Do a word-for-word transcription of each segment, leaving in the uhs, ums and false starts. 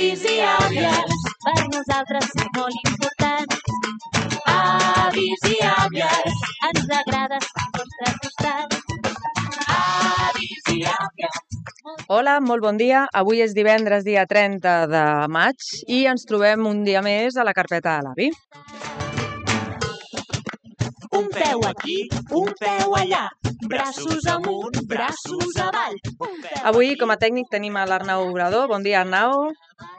Avis i àvies, per nosaltres és molt important. Avis i àvies, ens agrada estar al vostre costat. Avis i àvies. Hola, molt bon dia. Avui és divendres, dia trenta de maig, i ens trobem un dia més a la carpeta de l'avi. Un peu aquí, un peu allà, braços amunt, braços avall. Avui, com a tècnic, tenim a l'Arnau Obrador. Bon dia, Arnau.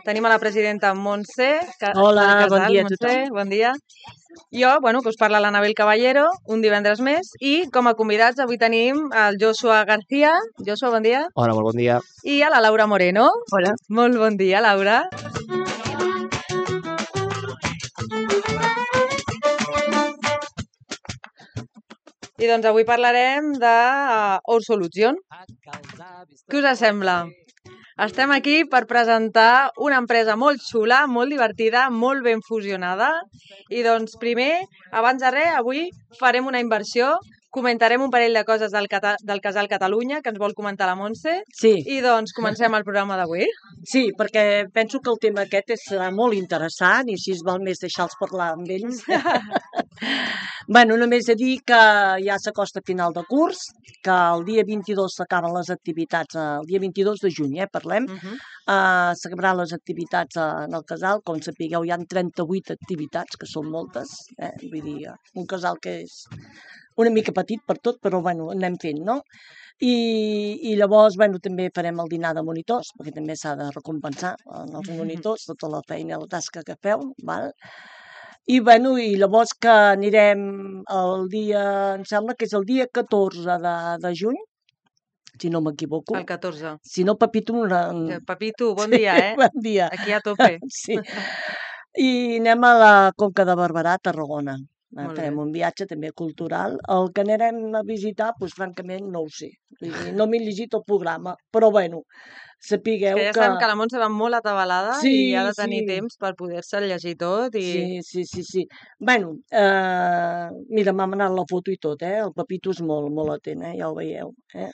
Tenim a la presidenta Montse. Hola, Casal, bon dia a Montse, tothom. bon dia. Jo, bueno, que us parla l'Anabel Caballero, un divendres més, i com a convidats avui tenim el Joshua García. Joshua, bon dia. Hola, molt bon dia. I a la Laura Moreno. Hola. Molt bon dia, Laura. I doncs avui parlarem de uh, Our Solution. Què us sembla? Estem aquí per presentar una empresa molt xula, molt divertida, molt ben fusionada. I doncs primer, abans de res, avui farem una inversió, comentarem un parell de coses del, Cata del Casal Catalunya que ens vol comentar la Montse. Sí. I doncs comencem el programa d'avui. Sí, perquè penso que el tema aquest serà molt interessant i així val més deixar-los parlar amb ells. Bueno, només a dir que ja s'acosta final de curs, que el dia vint-i-dos s'acaben les activitats, el dia vint-i-dos de juny, eh, parlem, Uh -huh. uh, s'acabaran les activitats en el casal, com sapigueu hi ha trenta-vuit activitats, que són moltes, eh? Vull dir, un casal que és una mica petit per tot, però bueno, anem fent, no? I, i llavors, bueno, també farem el dinar de monitors, perquè també s'ha de recompensar els monitors, tota la feina i la tasca que feu, val? I, bueno, i llavors que anirem el dia, em sembla que és el dia catorze de, de juny, si no m'equivoco. El catorze. Si no, Pepito... Una... Pepito, bon dia, eh? Bon dia. Aquí a tope. Sí. I anem a la Conca de Barberà, a Tarragona. Molt Farem bé. un viatge també cultural. El que anirem a visitar, doncs, francament, no ho sé. Vull dir, no m'he llegit el programa, però, bueno, sapigueu que ja que... sabem que la Montse va molt atabalada Sí, i ha de tenir sí. temps per poder-se llegir tot. I... Sí, sí, sí, sí. Bueno, eh, mira, m'ha manat la foto i tot, eh? El Pepito és molt, molt atent, eh? Ja ho veieu, eh?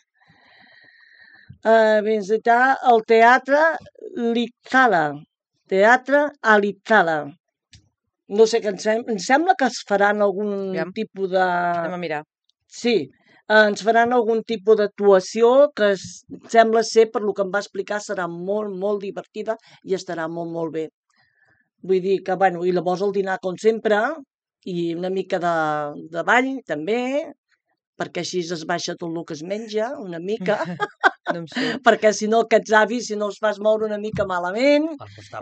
Eh, visitar el Teatre Litzala. Teatre a Litzala. No sé què em sembla. Em sembla que es faran algun Aviam. tipus de... Anem a mirar. Sí, eh, ens faran algun tipus d'actuació que es, sembla ser, per lo que em va explicar, serà molt, molt divertida i estarà molt, molt bé. Vull dir que, bueno, i llavors el dinar, com sempre, i una mica de, de ball, també, perquè així es baixa tot el que es menja, una mica, No em surt. perquè si no aquests avis, si no els fas moure una mica malament,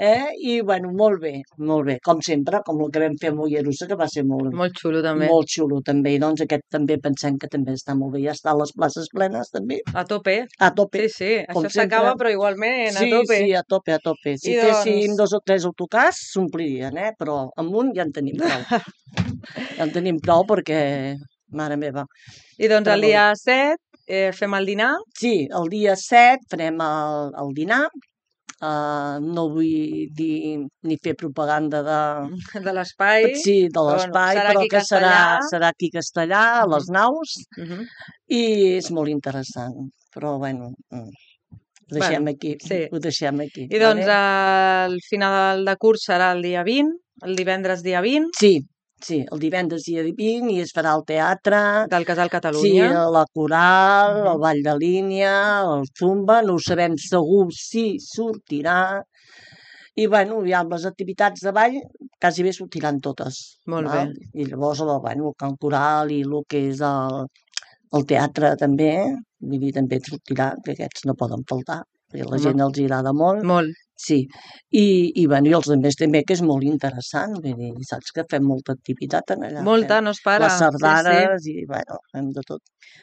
eh? I, bueno, molt bé, molt bé, com sempre, com el que vam fer a Mollerussa, que va ser molt, Molt xulo, també. molt xulo, també, i doncs aquest també pensem que també està molt bé, ja està a les places plenes, també, A tope. a tope. Sí, sí. Com Això s'acaba, sempre. però igualment a Sí, tope. sí, a tope, a tope. Si I féssim doncs- dos o tres autocars, s'omplirien, eh? Però amb un ja en tenim prou. Ja en tenim prou perquè, mare meva. I doncs Però el dia set eh, fem el dinar. Sí, el dia set farem el, el dinar. Uh, no vull dir ni fer propaganda de, de l'espai. sí, de Però, l'espai, bueno, serà però aquí a que serà, Castellà. serà aquí a Castellà, a les naus, Uh -huh. i és molt interessant. Però, bueno, mm, ho deixem Bueno, aquí. sí. Ho deixem aquí. I doncs vale? el final de curs serà el dia vint, el divendres dia vint, Sí, sí, el divendres dia vint i es farà el teatre, del Casal sí, Catalunya. la coral, Mhm. el ball de línia, el zumba, no ho sabem segur si sortirà. I, bueno, ja amb les activitats de ball quasi bé sortiran totes. Molt val? bé. I llavors, el, bueno, el cant coral i el que és el, el teatre també, vull dir, també sortirà, que aquests no poden faltar, perquè a la Home. gent els agrada molt. Molt. Sí, i, i, bueno, i els altres també, que és molt interessant, vull dir, saps que fem molta activitat en allà. Molta, fem no es para. les Sí, sí. sardanes i, bueno, fem de tot.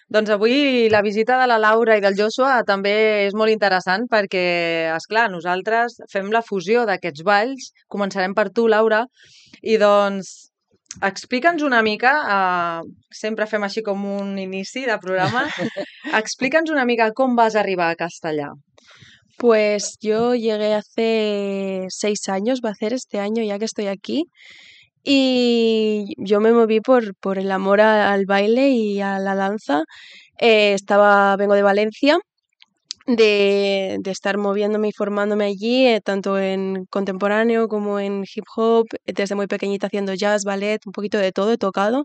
Doncs avui la visita de la Laura i del Joshua també és molt interessant perquè, esclar, nosaltres fem la fusió d'aquests balls. Començarem per tu, Laura, i doncs explica'ns una mica, eh, sempre fem així com un inici de programa, explica'ns una mica com vas arribar a Castellà. Pues yo llegué hace seis años, va a hacer este año ya que estoy aquí, y yo me moví por, por el amor a- al baile y a la danza. Eh, estaba, vengo de Valencia de, de estar moviéndome y formándome allí, eh, tanto en contemporáneo como en hip hop, desde muy pequeñita haciendo jazz, ballet, un poquito de todo he tocado.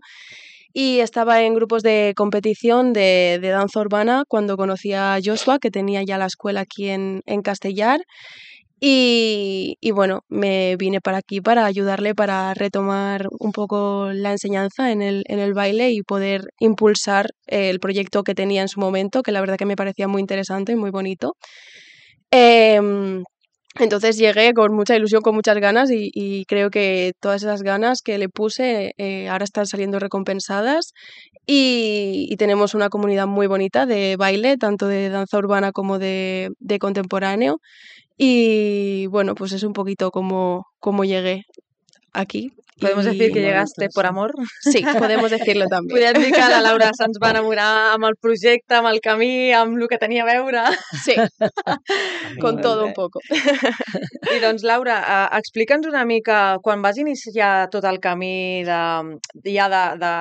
Y estaba en grupos de competición de, de danza urbana cuando conocí a Joshua, que tenía ya la escuela aquí en, en Castellar. Y, y bueno, me vine para aquí para ayudarle para retomar un poco la enseñanza en el, en el baile y poder impulsar el proyecto que tenía en su momento, que la verdad que me parecía muy interesante y muy bonito. Em, entonces llegué con mucha ilusión, con muchas ganas y, y creo que todas esas ganas que le puse eh, ahora están saliendo recompensadas y, y tenemos una comunidad muy bonita de baile, tanto de danza urbana como de, de contemporáneo. Y bueno, pues es un poquito como, como llegué aquí. Podemos I... decir que Molt llegaste por interessant. amor? Sí, podemos decirlo també. Podem dir que la Laura se'ns va enamorar amb el projecte, amb el camí, amb el que tenia a veure. Sí, con Molt todo bé. un poco. I doncs, Laura, eh, explica'ns una mica, quan vas iniciar tot el camí de, ja de, de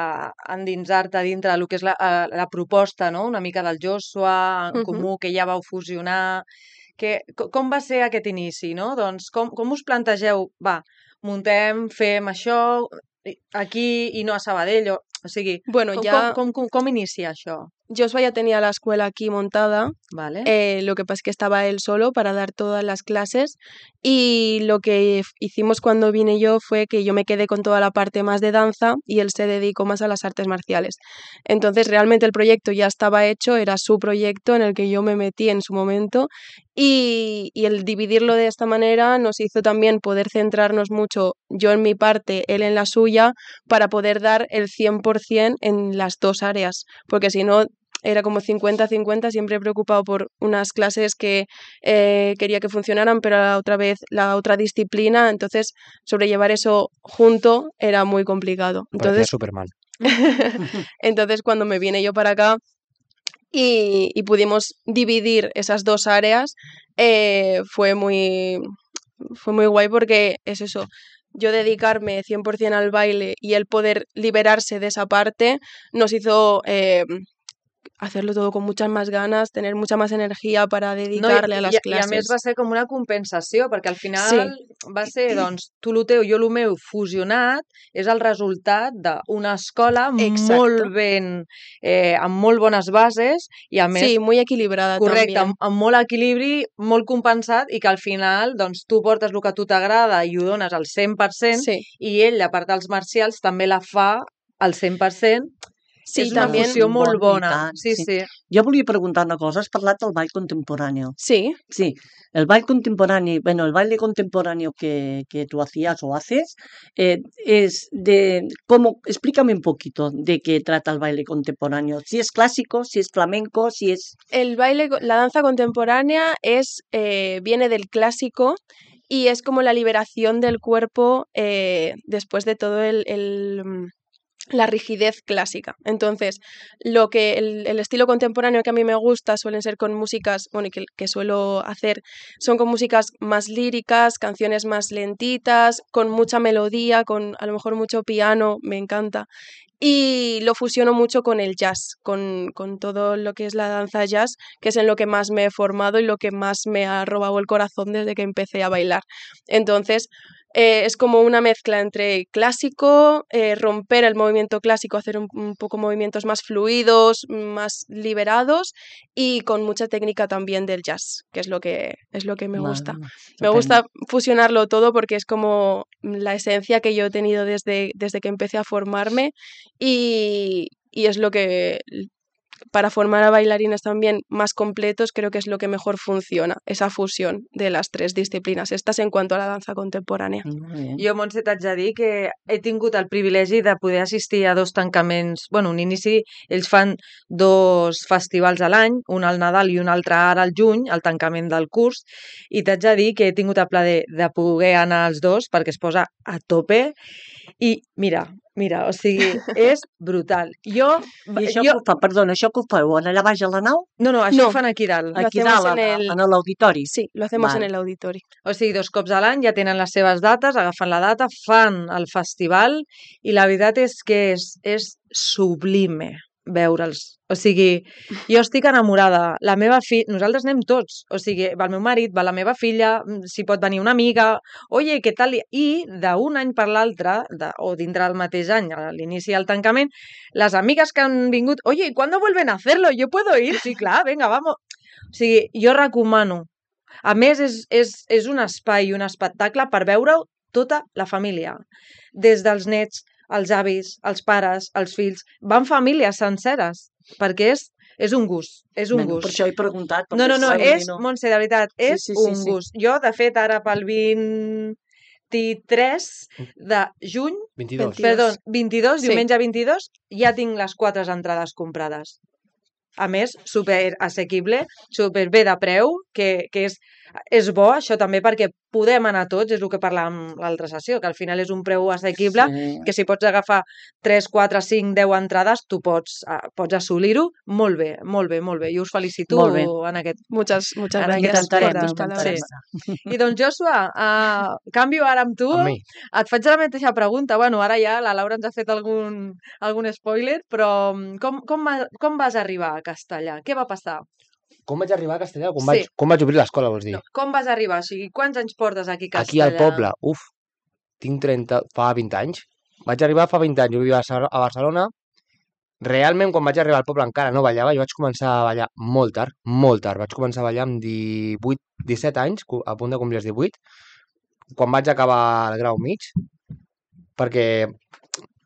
endinsar-te dintre del que és la, eh, la proposta, no? Una mica del Joshua, en Mhm. comú, que ja vau fusionar, que, co- com va ser aquest inici, no? Doncs com, com us plantegeu, va, muntem, fem això, i- aquí i no a Sabadell, o, o sigui, Bueno, com, ya com, com, com, com inicia això? Joshua ya tenía la escuela aquí montada, Vale? eh, lo que pasa es que estaba él solo para dar todas las clases y lo que f- hicimos cuando vine yo fue que yo me quedé con toda la parte más de danza y él se dedicó más a las artes marciales. Entonces realmente el proyecto ya estaba hecho, era su proyecto en el que yo me metí en su momento y, y el dividirlo de esta manera nos hizo también poder centrarnos mucho, yo en mi parte, él en la suya, para poder dar el cien por ciento en las dos áreas, porque si no era como cincuenta cincuenta, siempre preocupado por unas clases que eh, quería que funcionaran, pero a la otra vez la otra disciplina, entonces sobrellevar eso junto era muy complicado. Parecía Entonces, súper mal. entonces cuando me vine yo para acá y, y pudimos dividir esas dos áreas, eh, fue muy fue muy guay porque es eso, yo dedicarme cien por ciento al baile y el poder liberarse de esa parte nos hizo eh, hacerlo todo con muchas más ganas, tener mucha más energía para No, i, dedicarle a i, las i a clases. més va ser com una compensació, perquè al final Sí, va ser, doncs, tu lo teu, jo lo meu fusionat, és el resultat d'una escola exacto. molt ben, eh, amb molt bones bases i a més, Sí, muy equilibrada correcte, también. amb, amb molt equilibri, molt compensat i que al final, doncs, tu portes el que a tu t'agrada i ho dones al cent per cent Sí, i ell, la part dels marcials, també la fa al cent per cent. sí, És una también. fusió molt Bueno, i bona. tant, Sí, sí. sí. Jo volia preguntar una cosa, has parlat del ball contemporáneo. Sí, Sí, el baile contemporáneo, bueno, el baile contemporáneo que, que tú hacías o haces, eh, es de, ¿cómo? Explícame un poquito de qué trata el baile contemporáneo. Si es clásico, si es flamenco, si es... el baile, co- la danza contemporánea es eh, viene del clásico y es como la liberación del cuerpo eh, después de todo el, el, mm, la rigidez clásica. Entonces, lo que el, el estilo contemporáneo que a mí me gusta suelen ser con músicas, bueno, y que, que suelo hacer, son con músicas más líricas, canciones más lentitas, con mucha melodía, con a lo mejor mucho piano, me encanta. Y lo fusiono mucho con el jazz, con, con todo lo que es la danza jazz, que es en lo que más me he formado y lo que más me ha robado el corazón desde que empecé a bailar. Entonces, eh, es como una mezcla entre clásico, eh, romper el movimiento clásico, hacer un, un poco movimientos más fluidos, más liberados y con mucha técnica también del jazz, que es lo que, es lo que me gusta. Vale, Me estupendo. gusta fusionarlo todo porque es como la esencia que yo he tenido desde, desde que empecé a formarme y, y es lo que, para formar a bailarines también más completos, creo que es lo que mejor funciona, esa fusión de las tres disciplinas. Estas en cuanto a la danza contemporánea. Molt bé. Jo, Montse, t'haig de dir que he tingut el privilegi de poder assistir a dos tancaments, bueno, un inici, ells fan dos festivals a l'any, un al Nadal i un altre ara al juny, el tancament del curs, i t'haig de dir que he tingut el plaer de, de poder anar als dos perquè es posa a tope i mira, mira, o sigui, és brutal. Jo, I això jo que ho fa, perdona, això que ho feu allà baix a la nau? no, no, això No. ho fan aquí dalt. Lo Aquí hacemos dalt, en a- el- en l'auditori? Sí, lo hacemos Vale. en el auditorio. O sigui, dos cops a l'any ja tenen les seves dates, agafen la data, fan el festival i la veritat és que és, és sublime. veure'ls. O sigui, jo estic enamorada. La meva filla... Nosaltres anem tots. O sigui, va el meu marit, va la meva filla, si pot venir una amiga... Oye, què tal? I d'un any per l'altre, de, o dintre del mateix any, a l'inici del tancament, les amigues que han vingut... Oye, ¿cuándo vuelven a hacerlo? ¿Yo puedo ir? Sí, clar, venga, vamos. O sigui, jo recomano. A més, és, és, és un espai i un espectacle per veure-ho tota la família. Des dels nets, els avis, els pares, els fills... Van famílies senceres, perquè és, és un gust, és un Bueno, gust. per això he preguntat. No, no, no, perquè, és, no. Montse, de veritat, és Sí, sí, sí, un sí. gust. Jo, de fet, ara pel vint-i-tres de juny, vint-i-dos. vint- perdó, vint-i-dos, Sí. diumenge vint-i-dos, ja tinc les quatre entrades comprades. A més, super assequible, super bé de preu, que, que és, és bo, això també, perquè podem anar tots, és el que parlàvem l'altra sessió, que al final és un preu assequible, Sí. que si pots agafar tres, quatre, cinc, deu entrades, tu pots, eh, pots assolir-ho molt bé, molt bé, molt bé. Jo us felicito Molt bé. en aquest... Muchas, muchas Ara gracias por intentarem, tus intentarem. palabras. I doncs, Joshua, uh, canvio ara amb tu. Amb mi. Et faig la mateixa pregunta. Bueno, ara ja la Laura ens ha fet algun, algun spoiler, però mm, com, com, va- com vas arribar a Castellà? Què va passar? Com vaig arribar a Castellà? Com, Sí. vaig, com vaig obrir l'escola, vols dir? No, com vas arribar? O sigui, quants anys portes aquí a Aquí Castellà? al poble, uf, tinc trenta, fa vint anys. Vaig arribar fa vint anys, jo vivia a Bar- a Barcelona. Realment, quan vaig arribar al poble encara no ballava, jo vaig començar a ballar molt tard, molt tard. Vaig començar a ballar amb divuit, disset anys, cu- a punt de complir els divuit, quan vaig acabar el grau mig, perquè,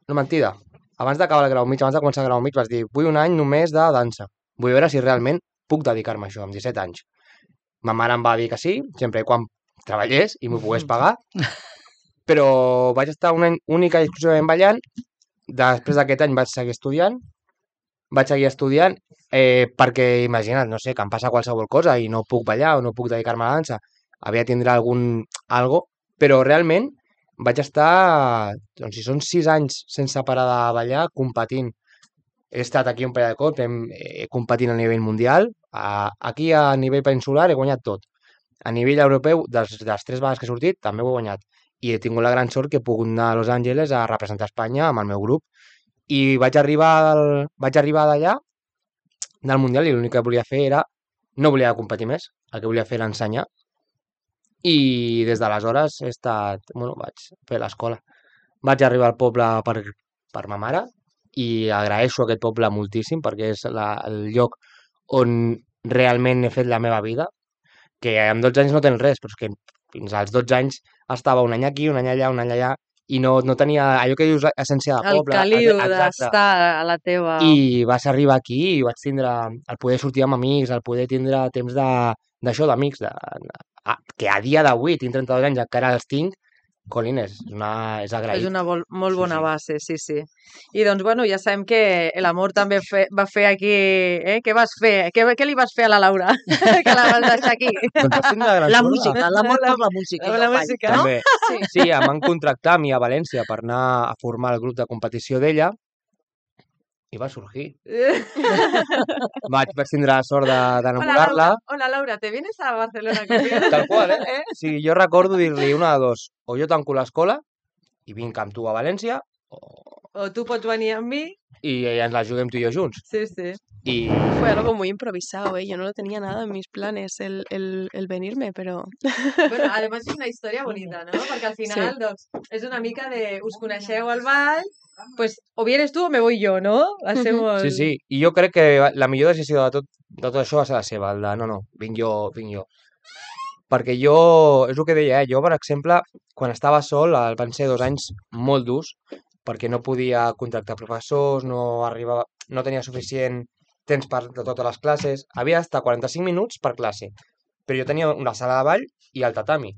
no mentida, abans d'acabar el grau mig, abans de començar el grau mig, vaig dir, vull un any només de dansa. Vull veure si realment puc dedicar-me a això, amb disset anys. Ma mare em va dir que sí, sempre i quan treballés i m'ho pogués pagar, però vaig estar un any única i exclusivament ballant. Després d'aquest any vaig seguir estudiant, vaig seguir estudiant eh, perquè, imagina't, no sé, que em passa qualsevol cosa i no puc ballar o no puc dedicar-me a la dansa, havia de tindre algun algo, però realment vaig estar, doncs si són sis anys sense parar de ballar, competint. He estat aquí un parell de cops, hem, eh, competint a nivell mundial, a, aquí a nivell peninsular he guanyat tot. A nivell europeu, dels, de les tres vegades que he sortit, també ho he guanyat. I he tingut la gran sort que he pogut anar a Los Angeles a representar Espanya amb el meu grup. I vaig arribar, al, vaig arribar d'allà, del Mundial, i l'únic que volia fer era... No volia competir més, el que volia fer era ensenyar. I des d'aleshores he estat... Bueno, vaig fer l'escola. Vaig arribar al poble per, per ma mare i agraeixo aquest poble moltíssim perquè és la, el lloc on realment he fet la meva vida, que amb dotze anys no tens res, però és que fins als dotze anys estava un any aquí, un any allà, un any allà, i no, no tenia allò que dius essència de El poble. caliu exacte. d'estar a la teva... I vas arribar aquí i vaig tindre el poder sortir amb amics, el poder tindre temps de d'això d'amics, de, a, que a dia d'avui tinc trenta-dos anys, encara els tinc, colines, és, una, és agraït. És una vol, molt Sí, bona sí. base, sí, sí. I doncs, bueno, ja sabem que l'amor també fe, va fer aquí... Eh? Què vas fer? Què, què li vas fer a la Laura? que la vas deixar aquí. Doncs vaig tindre la gran La sort de- música, l'amor per la música. La i el ball, música. no? També. Sí. Sí, em van contractar a mi a València per anar a formar el grup de competició d'ella i va sorgir. Vaig, vaig tindre la sort de- Hola, d'enamorar-la. Laura. Hola, Laura, ¿te vienes a Barcelona conmigo? Tal qual, eh? Sí, jo recordo dir-li una de dos. O jo tanco l'escola i vinc amb tu a València, o... O tu pots venir amb mi? i ens la juguem tu i jo junts. Sí, sí. I Fue algo muy improvisado, ¿eh? Yo no lo tenía nada en mis planes el, el, el venirme, pero Bueno, además és una història bonita, ¿no? Perquè al final, Sí. doncs, és una mica de... Us coneixeu al ball, pues o vienes tu o me voy yo, ¿no? Hacemos... sí, sí, i jo crec que la millor decisió de tot, de tot això va ser la seva, el de no, no, vinc jo, vinc jo. Perquè jo, és el que deia, eh? Jo, per exemple, quan estava sol, el- van ser dos anys molt durs, perquè no podia contractar professors, no arribava, no tenia suficient temps per de totes les classes, havia d'estar quaranta-cinc minuts per classe, però jo tenia una sala de ball i el tatami.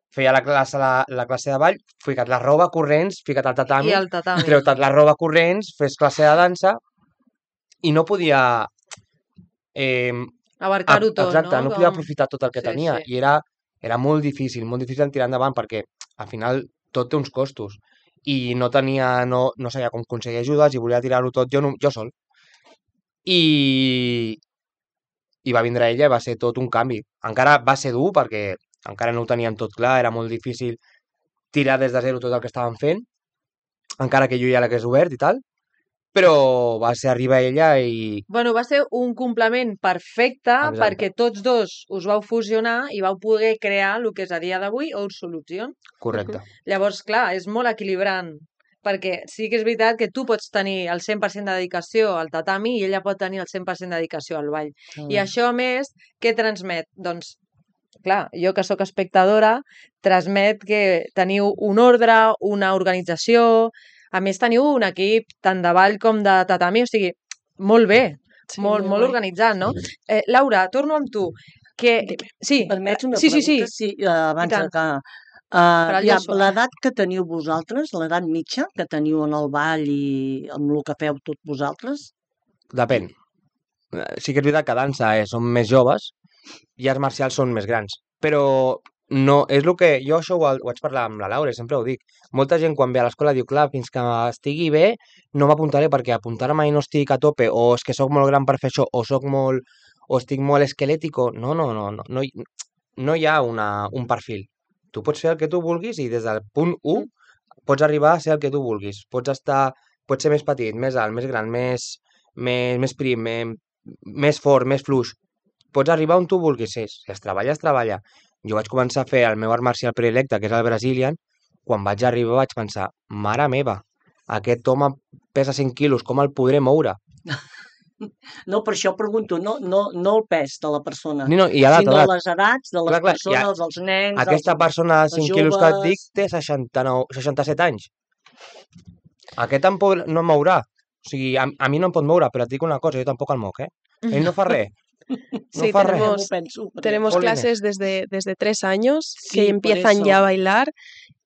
Feia la classe, la, la classe de ball, fica't la roba corrents, fica't al tatami, I el tatami. treu-te la roba corrents, fes classe de dansa, i no podia... Eh, Abarcar-ho ap- tot, exacte, no? no podia Com- aprofitar tot el que Sí, tenia, sí. i era, era molt difícil, molt difícil tirar endavant, perquè al final tot té uns costos, i no tenia, no, no sabia com aconseguir ajudes, i volia tirar-ho tot jo, no, jo sol. I, i va vindre ella i va ser tot un canvi. Encara va ser dur perquè encara no ho teníem tot clar, era molt difícil tirar des de zero tot el que estàvem fent, encara que jo ja l'hagués obert i tal, però va ser arribar ella i... Bueno, va ser un complement perfecte Exacte. perquè tots dos us vau fusionar i vau poder crear el que és a dia d'avui Our Solution. Correcte. Llavors, clar, és molt equilibrant perquè sí que és veritat que tu pots tenir el cent per cent de dedicació al tatami i ella pot tenir el cent per cent de dedicació al ball. I això, a més, què transmet? Doncs, clar, jo que sóc espectadora, transmet que teniu un ordre, una organització, a més teniu un equip tant de ball com de tatami, o sigui, molt bé, Sí, molt, molt molt guai. organitzat, no? Eh, Laura, torno amb tu. Que... Dime. Sí, Permets una sí, sí, sí. pregunta? Sí, eh, abans tant. de que... Per Uh, al ja, Joshua. l'edat que teniu vosaltres, l'edat mitja que teniu en el ball i amb el que feu tots vosaltres, Depèn. Eh, Sí que és veritat que dansa eh, són més joves i arts marcials són més grans. Però no, és el que... Jo això ho, ho vaig parlar amb la Laura, i sempre ho dic. Molta gent quan ve a l'escola diu, clar, fins que estigui bé no m'apuntaré perquè apuntar-me i no estic a tope, o és que sóc molt gran per fer això, o sóc molt... o estic molt esquelètico. No, no, no, no, no, hi, no hi ha una, un perfil. Tu pots fer el que tu vulguis i des del punt u pots arribar a ser el que tu vulguis. Pots estar... Pots ser més petit, més alt, més gran, més, més, més prim, més, més fort, més fluix. Pots arribar on tu vulguis ser. Si es treballa, es treballa. Jo vaig començar a fer el meu art marcial predilecte, que és el Brazilian. Quan vaig arribar vaig pensar, mare meva, aquest home pesa cinc quilos, com el podré moure? no, per això pregunto, no, no, no el pes de la persona, No, no, i edat, sinó edat. les edats de les Clar, clar, i a- persones, dels nens, Aquesta dels... persona de els cinc quilos que et dic joves. té seixanta-nou, seixanta-set anys. Aquest em pot, no em mourà. O sigui, a, a mi no em pot moure, però et dic una cosa, jo tampoc el moc, eh? Ell no fa res. No Sí, fa Ja res. m'ho tenemos, penso, perquè- tenemos Jolines. clases desde, desde tres años Sí, que por empiezan eso. ya a bailar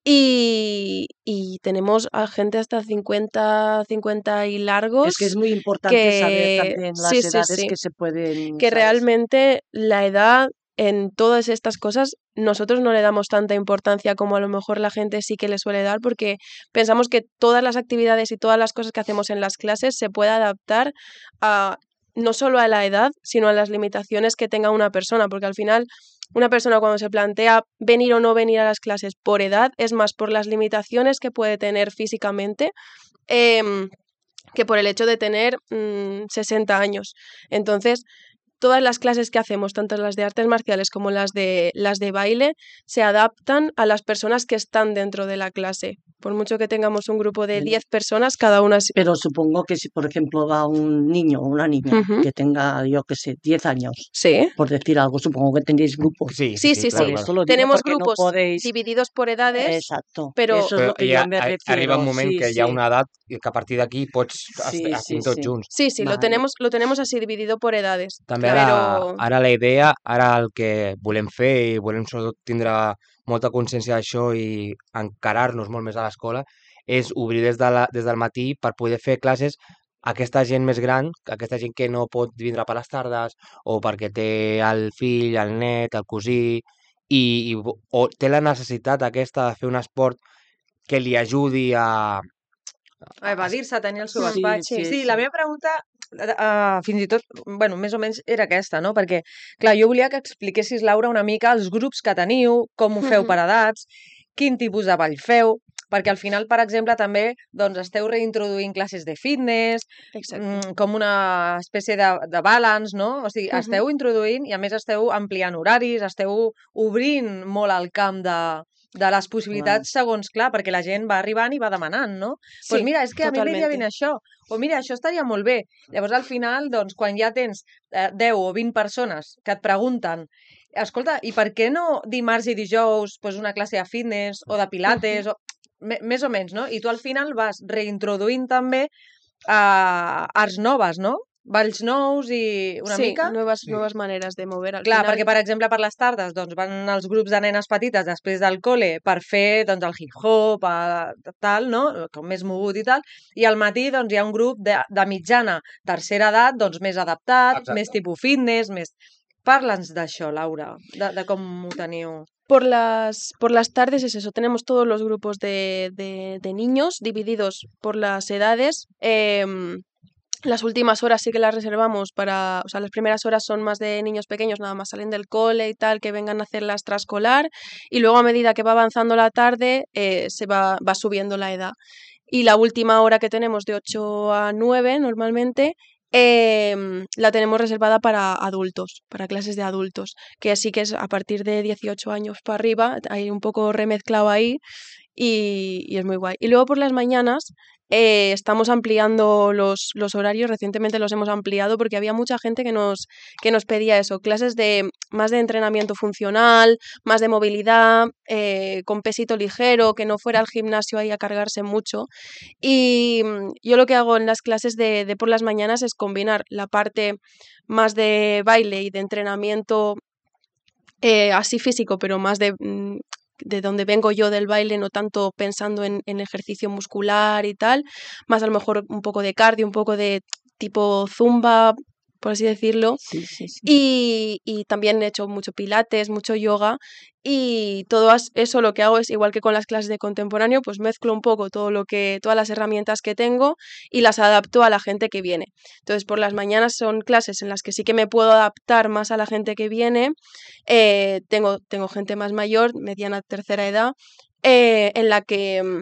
y, y tenemos a gente hasta cincuenta, cincuenta y largos Es que es muy importante que- saber también las sí, sí, edades sí. que se pueden... que ¿sabes? realmente la edad en todas estas cosas nosotros no le damos tanta importancia como a lo mejor la gente sí que le suele dar porque pensamos que todas las actividades y todas las cosas que hacemos en las clases se puede adaptar a no solo a la edad, sino a las limitaciones que tenga una persona, porque al final una persona cuando se plantea venir o no venir a las clases por edad es más por las limitaciones que puede tener físicamente em, que por el hecho de tener mm, sesenta años. Entonces, todas las clases que hacemos, tanto las de artes marciales como las de, las de baile, se adaptan a las personas que están dentro de la clase. Por mucho que tengamos un grupo de Bien. diez personas, cada una... es- Pero supongo que si, por ejemplo, va un niño o una niña Ujú. que tenga, yo qué sé, diez años, Sí. por decir algo, supongo que tendréis grupos. Sí, Sí, sí, claro, sí. Por claro. eso lo digo, Tenemos porque no grupos podéis... divididos por edades, Exacto. pero- Eso es Però lo que ja yo me a- refiero. arriba un moment sí, que sí. hi ha una edat i que a partir d'aquí pots Sí, estar sí, tots sí. junts. Sí, sí, lo Vale. tenemos, lo tenemos así dividido por edades. També Pero ara, ara la idea, ara el que volem fer i volem sobretot tindre molta consciència d'això i encarar-nos molt més a l'escola és obrir des, de la, des del matí per poder fer classes a aquesta gent més gran, aquesta gent que no pot vindre per les tardes o perquè té el fill, el net, el cosí i, i o té la necessitat aquesta de fer un esport que li ajudi a... A evadir-se, a tenir el seu Sí, despatx. sí, sí, sí. la meva pregunta, uh, fins i tot, bueno, més o menys era aquesta, no? Perquè, clar, jo volia que expliquessis, Laura, una mica els grups que teniu, com ho feu Mhm. per edats, quin tipus de ball feu, perquè al final, per exemple, també doncs, esteu reintroduint classes de fitness, Exacto. mm, com una espècie de, de balance, no? O sigui, Mhm. esteu introduint i, a més, esteu ampliant horaris, esteu obrint molt el camp de, de les possibilitats segons, clar, perquè la gent va arribant i va demanant, no? Doncs pues mira, és que a mi m'aniria totalmente. ben això, o mira, això estaria molt bé. Llavors, al final, doncs, quan ja tens eh, deu o vint persones que et pregunten escolta, i per què no dimarts i dijous pues, una classe de fitness o de pilates, o, me- més o menys, no? I tu al final vas reintroduint també eh, arts noves, no? Balls nous i una sí, mica... nuevas, Sí. nuevas maneras de mover. Al Clar, final, perquè, per exemple, per les tardes doncs, van els grups de nenes petites després del col·le per fer doncs, el hip-hop, eh, tal, no? Com més mogut i tal, i al matí doncs, hi ha un grup de, de mitjana, tercera edat, doncs, més adaptat, Exacte. més tipus fitness, més... Parla'ns d'això, Laura, de, de com ho teniu. Por las, por las tardes es eso, tenemos todos los grupos de, de, de niños divididos por las edades. em, las últimas horas sí que las reservamos para, o sea, las primeras horas son más de niños pequeños, nada más salen del cole y tal, que vengan a hacer la extraescolar, y luego a medida que va avanzando la tarde eh, se va, va subiendo la edad. y la última hora que tenemos de ocho a nueve normalmente eh, la tenemos reservada para adultos, para clases de adultos, que así que es a partir de dieciocho años para arriba, hay un poco remezclado ahí y, y es muy guay. Y luego por las mañanas eh, estamos ampliando los, los horarios, recientemente los hemos ampliado porque había mucha gente que nos, que nos pedía eso, clases de más de entrenamiento funcional, más de movilidad, eh, con pesito ligero, que no fuera al gimnasio ahí a cargarse mucho. Y mm, yo lo que hago en las clases de, de por las mañanas es combinar la parte más de baile y de entrenamiento eh, así físico, pero más de, mm, de donde vengo yo del baile, no tanto pensando en, en ejercicio muscular y tal, más a lo mejor un poco de cardio, un poco de tipo zumba, por así decirlo. Sí, sí, sí. Y, y también he hecho mucho pilates, mucho yoga y todo as- eso lo que hago es igual que con las clases de contemporáneo, pues mezclo un poco todo lo que, todas las herramientas que tengo y las adapto a la gente que viene. Entonces por las mañanas son clases en las que sí que me puedo adaptar más a la gente que viene. Eh, tengo, tengo gente más mayor, mediana tercera edad, eh, en la que mm,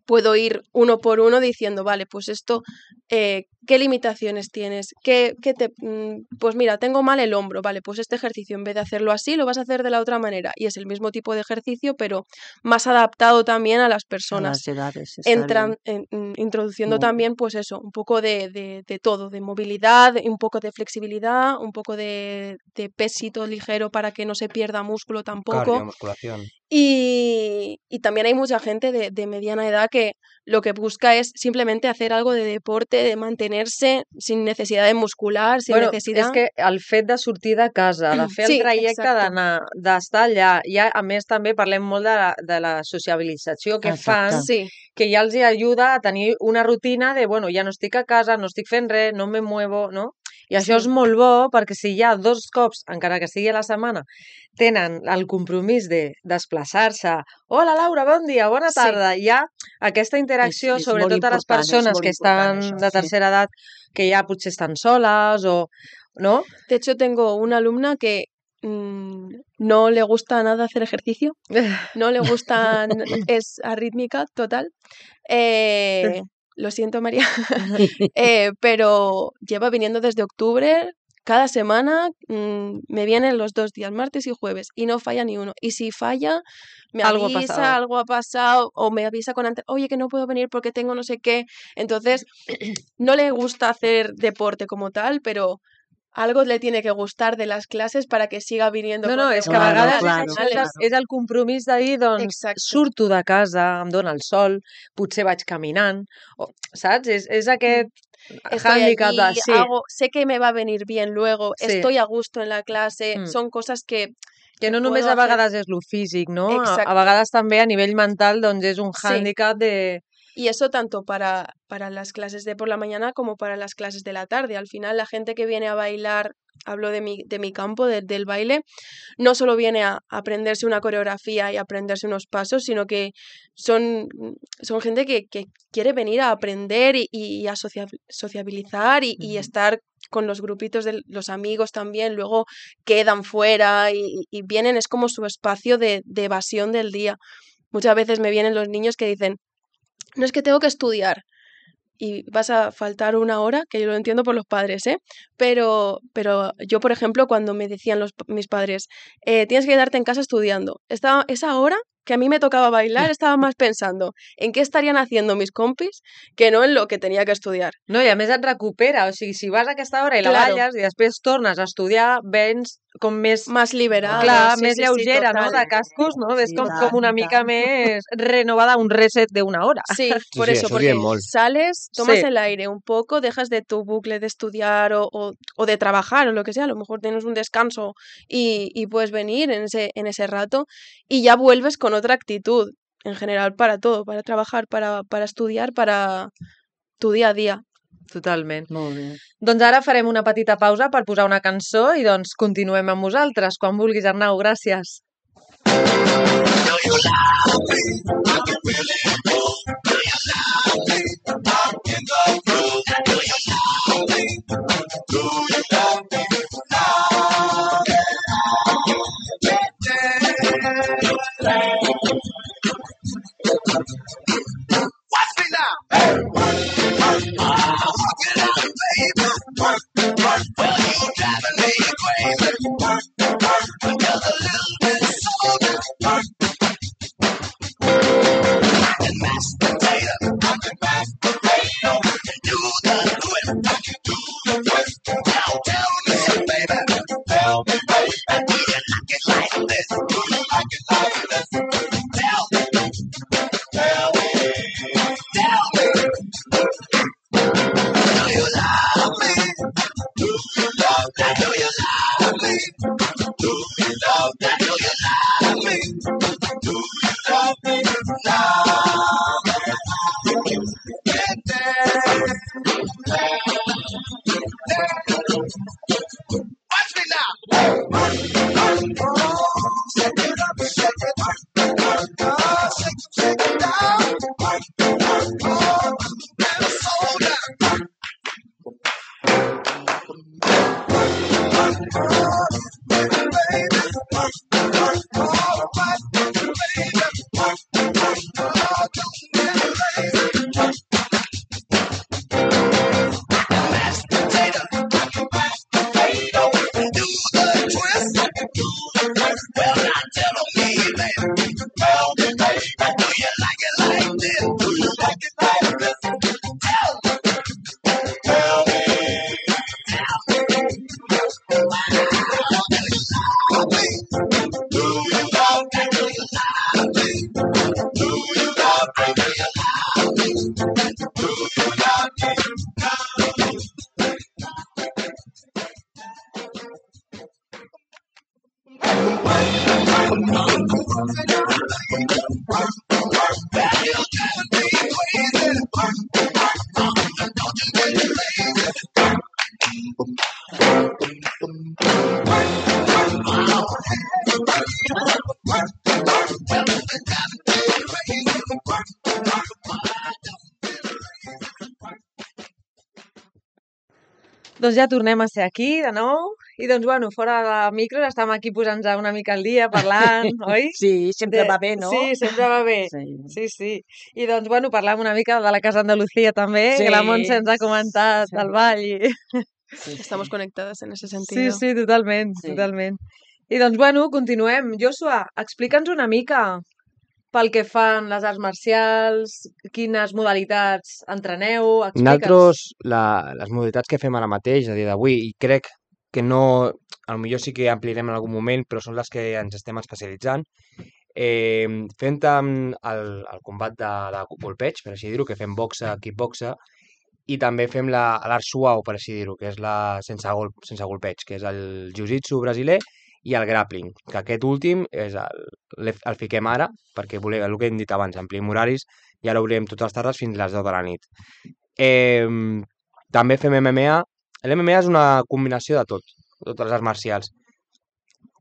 puedo ir uno por uno diciendo, vale, pues esto, eh, ¿qué limitaciones tienes? ¿Qué, qué te, mm, pues mira, tengo mal el hombro, vale, pues este ejercicio en vez de hacerlo así, lo vas a hacer de la otra manera. Y es el mismo tipo de ejercicio, pero más adaptado también a las A personas. las edades está Entran, bien. en- mm, introduciendo Muy bien. también, pues eso, un poco de, de, de todo, de movilidad, un poco de flexibilidad, un poco de, de pesito ligero para que no se pierda músculo tampoco. Cardio, musculación. Y, y también hay mucha gente de, de mediana edad que lo que busca es simplemente hacer algo de deporte, de mantenerse sin necesidad de muscular, sin Bueno, necesidad... és que el fet de sortir de casa, de fer el Sí, trajecte exacto. d'anar, d'estar allà, ja, a més també parlem molt de la, de la sociabilització que fan, Exacte. Sí, que ja els hi ajuda a tenir una rutina de, bueno, ja no estic a casa, no estic fent res, no me muevo, no? I això Sí. és molt bo perquè si ja dos cops, encara que sigui a la setmana, tenen el compromís de desplaçar-se, hola Laura, bon dia, bona Sí. tarda, hi ha aquesta És, interacció, és molt sobretot a les important, és persones molt que important estan això, de sí. tercera edat, que ja potser estan soles o... ¿no? De hecho, tengo una alumna que mm, no le gusta nada hacer ejercicio, no le gusta, n- es arrítmica total. Eh, lo siento, María. Eh, pero lleva viniendo desde octubre, cada semana mm, me vienen los dos días, martes y jueves, y no falla ni uno. Y si falla, me Algo ha avisa, pasado. algo ha pasado, o me avisa con antes, oye, que no puedo venir porque tengo no sé qué. Entonces, no le gusta hacer deporte como tal, pero algo le tiene que gustar de las clases para que siga viniendo No, con no, és que a Claro, vegades és, claro, això, és, el, profesionales. és el compromís de dir, doncs, Exacto. surto de casa, em dona el sol, potser vaig caminant, o, saps? És, és aquest Estoy hàndicap de... allí, Sí, hago, sé que me va a venir bien luego, sí. estoy a gusto en la clase, Mm. son cosas que, Que que no només puedo a hacer. vegades és lo físic, no? A, a Exacto. vegades també a nivell mental, doncs, és un Sí. hàndicap de... Y eso tanto para, para las clases de por la mañana como para las clases de la tarde. Al final, la gente que viene a bailar, hablo de mi, de mi campo, de- del baile, no solo viene a aprenderse una coreografía y aprenderse unos pasos, sino que son, son gente que, que quiere venir a aprender y, y a socia- sociabilizar y, y Ujú. estar con los grupitos de los amigos también, luego quedan fuera y, y vienen, es como su espacio de, de evasión del día. Muchas veces me vienen los niños que dicen, no es que tengo que estudiar y vas a faltar una hora, que yo lo entiendo por los padres, ¿eh? Pero, pero yo, por ejemplo, cuando me decían los, mis padres, eh, tienes que quedarte en casa estudiando, estaba, esa hora que a mí me tocaba bailar, estaba más pensando en qué estarían haciendo mis compis que no en lo que tenía que estudiar. No, i a més et recupera, o sigui, si vas a aquesta hora i la Claro. balles i després tornes a estudiar, vens com més... Más liberado, Clar, sí, més sí, sí, lleugera, no?, total. de cascos, no? Ves Sí, com, i com tant, una i mica tant. més renovada, un reset d'una hora. Sí, Sí, por sí, eso, això ho diem porque molt. sales, tomas Sí. el aire un poco, dejas de tu bucle de estudiar o, o, o de trabajar o lo que sea, a lo mejor tienes un descanso y, y puedes venir en ese, en ese rato y ya vuelves con otra actitud, en general para todo, para trabajar, para, para estudiar, para tu día a día. Totalment. Molt bé. Doncs ara farem una petita pausa per posar una cançó i doncs continuem amb vosaltres. Quan vulguis, Arnau, gràcies. Watch me now. Doncs ja tornem a ser aquí de nou i doncs, bueno, fora de micros estem aquí posant-nos una mica al dia, parlant, oi? Sí, sempre De- va bé, no? Sí, sempre va bé. Sí. Sí, sí. I doncs, bueno, parlem una mica de la Casa Andalucía també, Sí. que la Montse ens ha comentat Sí. el ball. I... Sí, Estamos sí. conectadas en ese Sí, sentido. sí, totalment, Sí. totalment. I doncs, bueno, continuem. Joshua, explica'ns una mica pel que fan les arts marcials, quines modalitats entreneu, explica'ns. Nosaltres, la, les modalitats que fem ara mateix, a dia d'avui, i crec que no, a lo millor sí que ampliarem en algun moment, però són les que ens estem especialitzant, eh, fem tant el, el combat de, de golpeig, per així dir-ho, que fem boxa, kickboxa, i també fem la- l'art suau, per així dir-ho, que és la sense, gol, sense golpeig, que és el jiu-jitsu brasiler i el grappling, que aquest últim és el, l'he- el fiquem ara, perquè volem, el que hem dit abans, ampliem horaris, i ara obrirem totes les tardes fins a les deu de la nit. Eh, també fem M M A. L'M M A és una combinació de tot, totes les arts marcials.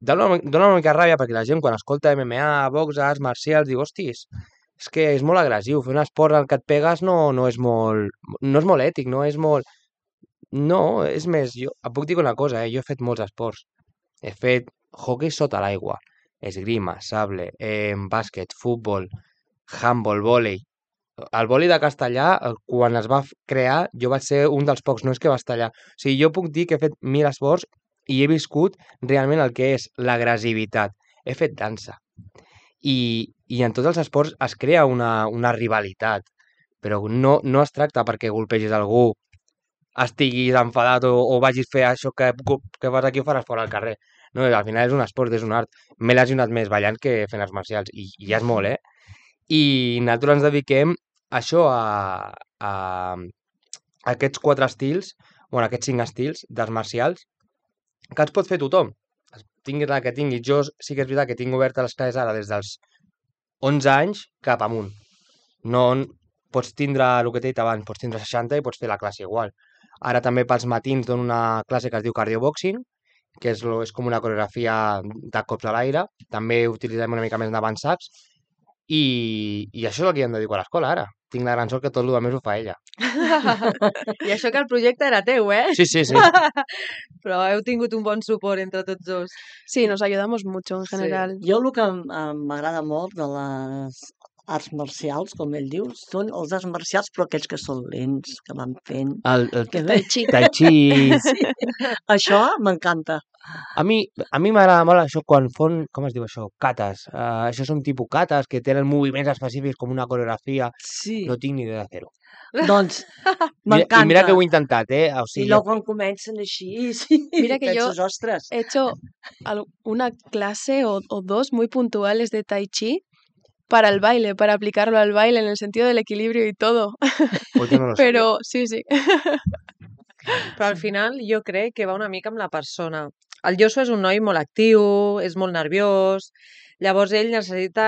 Dóna una, dóna una mica ràbia perquè la gent quan escolta M M A, boxa, arts marcials, diu, hostis, és que és molt agressiu, fer un esport en què et pegues no, no és molt no és molt ètic, no és molt... No, és més, jo et puc dir una cosa, eh? Jo he fet molts esports. He fet hockey sota l'aigua, esgrima, sable, eh, bàsquet, futbol, handball, vòlei. El vòlei de castellà, eh, quan es va f- crear, jo vaig ser un dels pocs nois que va estar allà. O sigui, jo puc dir que he fet mil esports i he viscut realment el que és l'agressivitat. He fet dansa. I, i en tots els esports es crea una, una rivalitat, però no, no es tracta perquè golpegis algú, estiguis enfadat o, o vagis a fer això que, que fas aquí ho faràs fora al carrer. No, al final és un esport, és un art. M'he lesionat més ballant que fent arts marcials, i, i ja és molt, eh? I nosaltres ens dediquem a això, a, a, a aquests quatre estils, bueno, aquests cinc estils d'arts marcials, que els pot fer tothom. Tinguis la que tinguis. Jo sí que és veritat que tinc oberta les classes ara des dels onze anys cap amunt. No pots tindre, el que t'he dit abans, pots tindre seixanta i pots fer la classe igual. Ara també pels matins dono una classe que es diu cardioboxing, que és, lo- és com una coreografia de cops a l'aire. També utilitzem una mica més d'avançats. I, I això és el que jo em dedico a l'escola ara. Tinc la gran sort que tot el més ho fa ella. I això que el projecte era teu, eh? Sí, sí, sí. Però heu tingut un bon suport entre tots dos. Sí, nos ayudamos mucho en Sí. general. Jo el que em- em- m'agrada molt de les arts marcials, com ell diu, són els arts marcials, però aquells que són lents, que van fent. El, el Que Tai chi. tai chi... Sí. Això m'encanta. A mi a mi m'agrada molt això quan fan, com es diu això? Cates. Uh, això són tipus cates que tenen moviments específics com una coreografia. Sí. No tinc ni idea de fer-ho. Doncs Mira, m'encanta. I mira que ho he intentat, eh? O I sigui, luego quan comencen així, sí, Mira que yo- penses, ostres, He hecho al- una clase o, o dos muy puntuales de Tai Chi para el baile, para aplicarlo al baile en el sentido del equilibrio y todo. pues jo no lo sé. Pero sí, sí. Però al final jo crec que va una mica amb la persona. El Joshua és un noi molt actiu, és molt nerviós, llavors ell necessita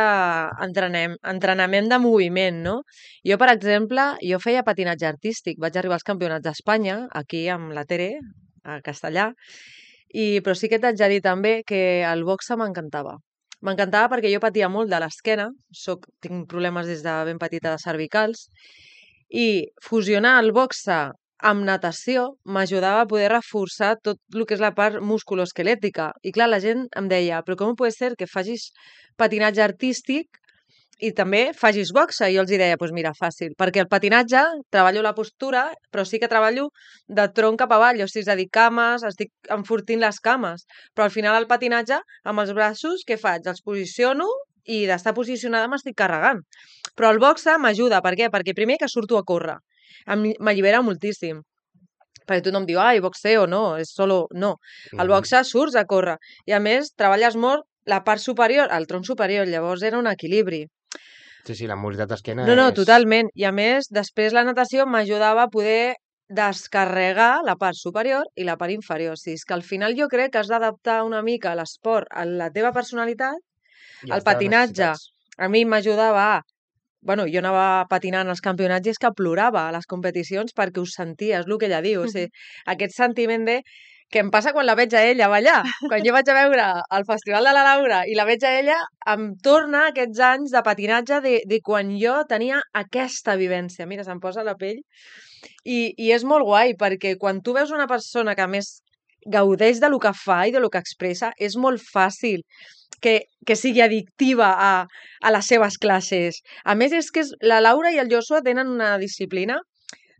entrenem, entrenament de moviment, no? Jo, per exemple, jo feia patinatge artístic, vaig arribar als campionats d'Espanya, aquí amb la Tere, a Castellà, i, però sí que t'haig de dir també que el boxa m'encantava. M'encantava perquè jo patia molt de l'esquena, soc, tinc problemes des de ben petita de cervicals, i fusionar el boxa amb natació m'ajudava a poder reforçar tot el que és la part musculoesquelètica. I clar, la gent em deia, però com pot ser que facis patinatge artístic i també facis boxa? I jo els deia, doncs mira, fàcil, perquè el patinatge treballo la postura, però sí que treballo de tronc cap avall, o sigui, és a dir, cames, estic enfortint les cames, però al final el patinatge, amb els braços, què faig? Els posiciono i d'estar posicionada m'estic carregant. Però el boxa m'ajuda, per què? Perquè primer que surto a córrer, m'allibera moltíssim. Perquè tothom diu, ai, boxeo, no, és solo... No, el boxa surts a córrer. I a més, treballes molt la part superior, el tronc superior, llavors era un equilibri. Sí, sí, la mobilitat d'esquena No, no, és... totalment. I a més, després la natació m'ajudava a poder descarregar la part superior i la part inferior. O sigui, és que al final jo crec que has d'adaptar una mica l'esport a la teva personalitat. I El has de patinatge necessitats. a mi m'ajudava a... Bueno, jo anava patinant als campionats i és que plorava a les competicions perquè ho sentia, és el que ella diu. O sigui, aquest sentiment de... que em passa quan la veig a ella ballar. Quan jo vaig a veure el Festival de la Laura i la veig a ella, em torna aquests anys de patinatge de, de quan jo tenia aquesta vivència. Mira, se'm posa la pell. I, I és molt guai, perquè quan tu veus una persona que a més gaudeix de lo que fa i de lo que expressa, és molt fàcil que, que sigui addictiva a, a les seves classes. A més, és que és, la Laura i el Joshua tenen una disciplina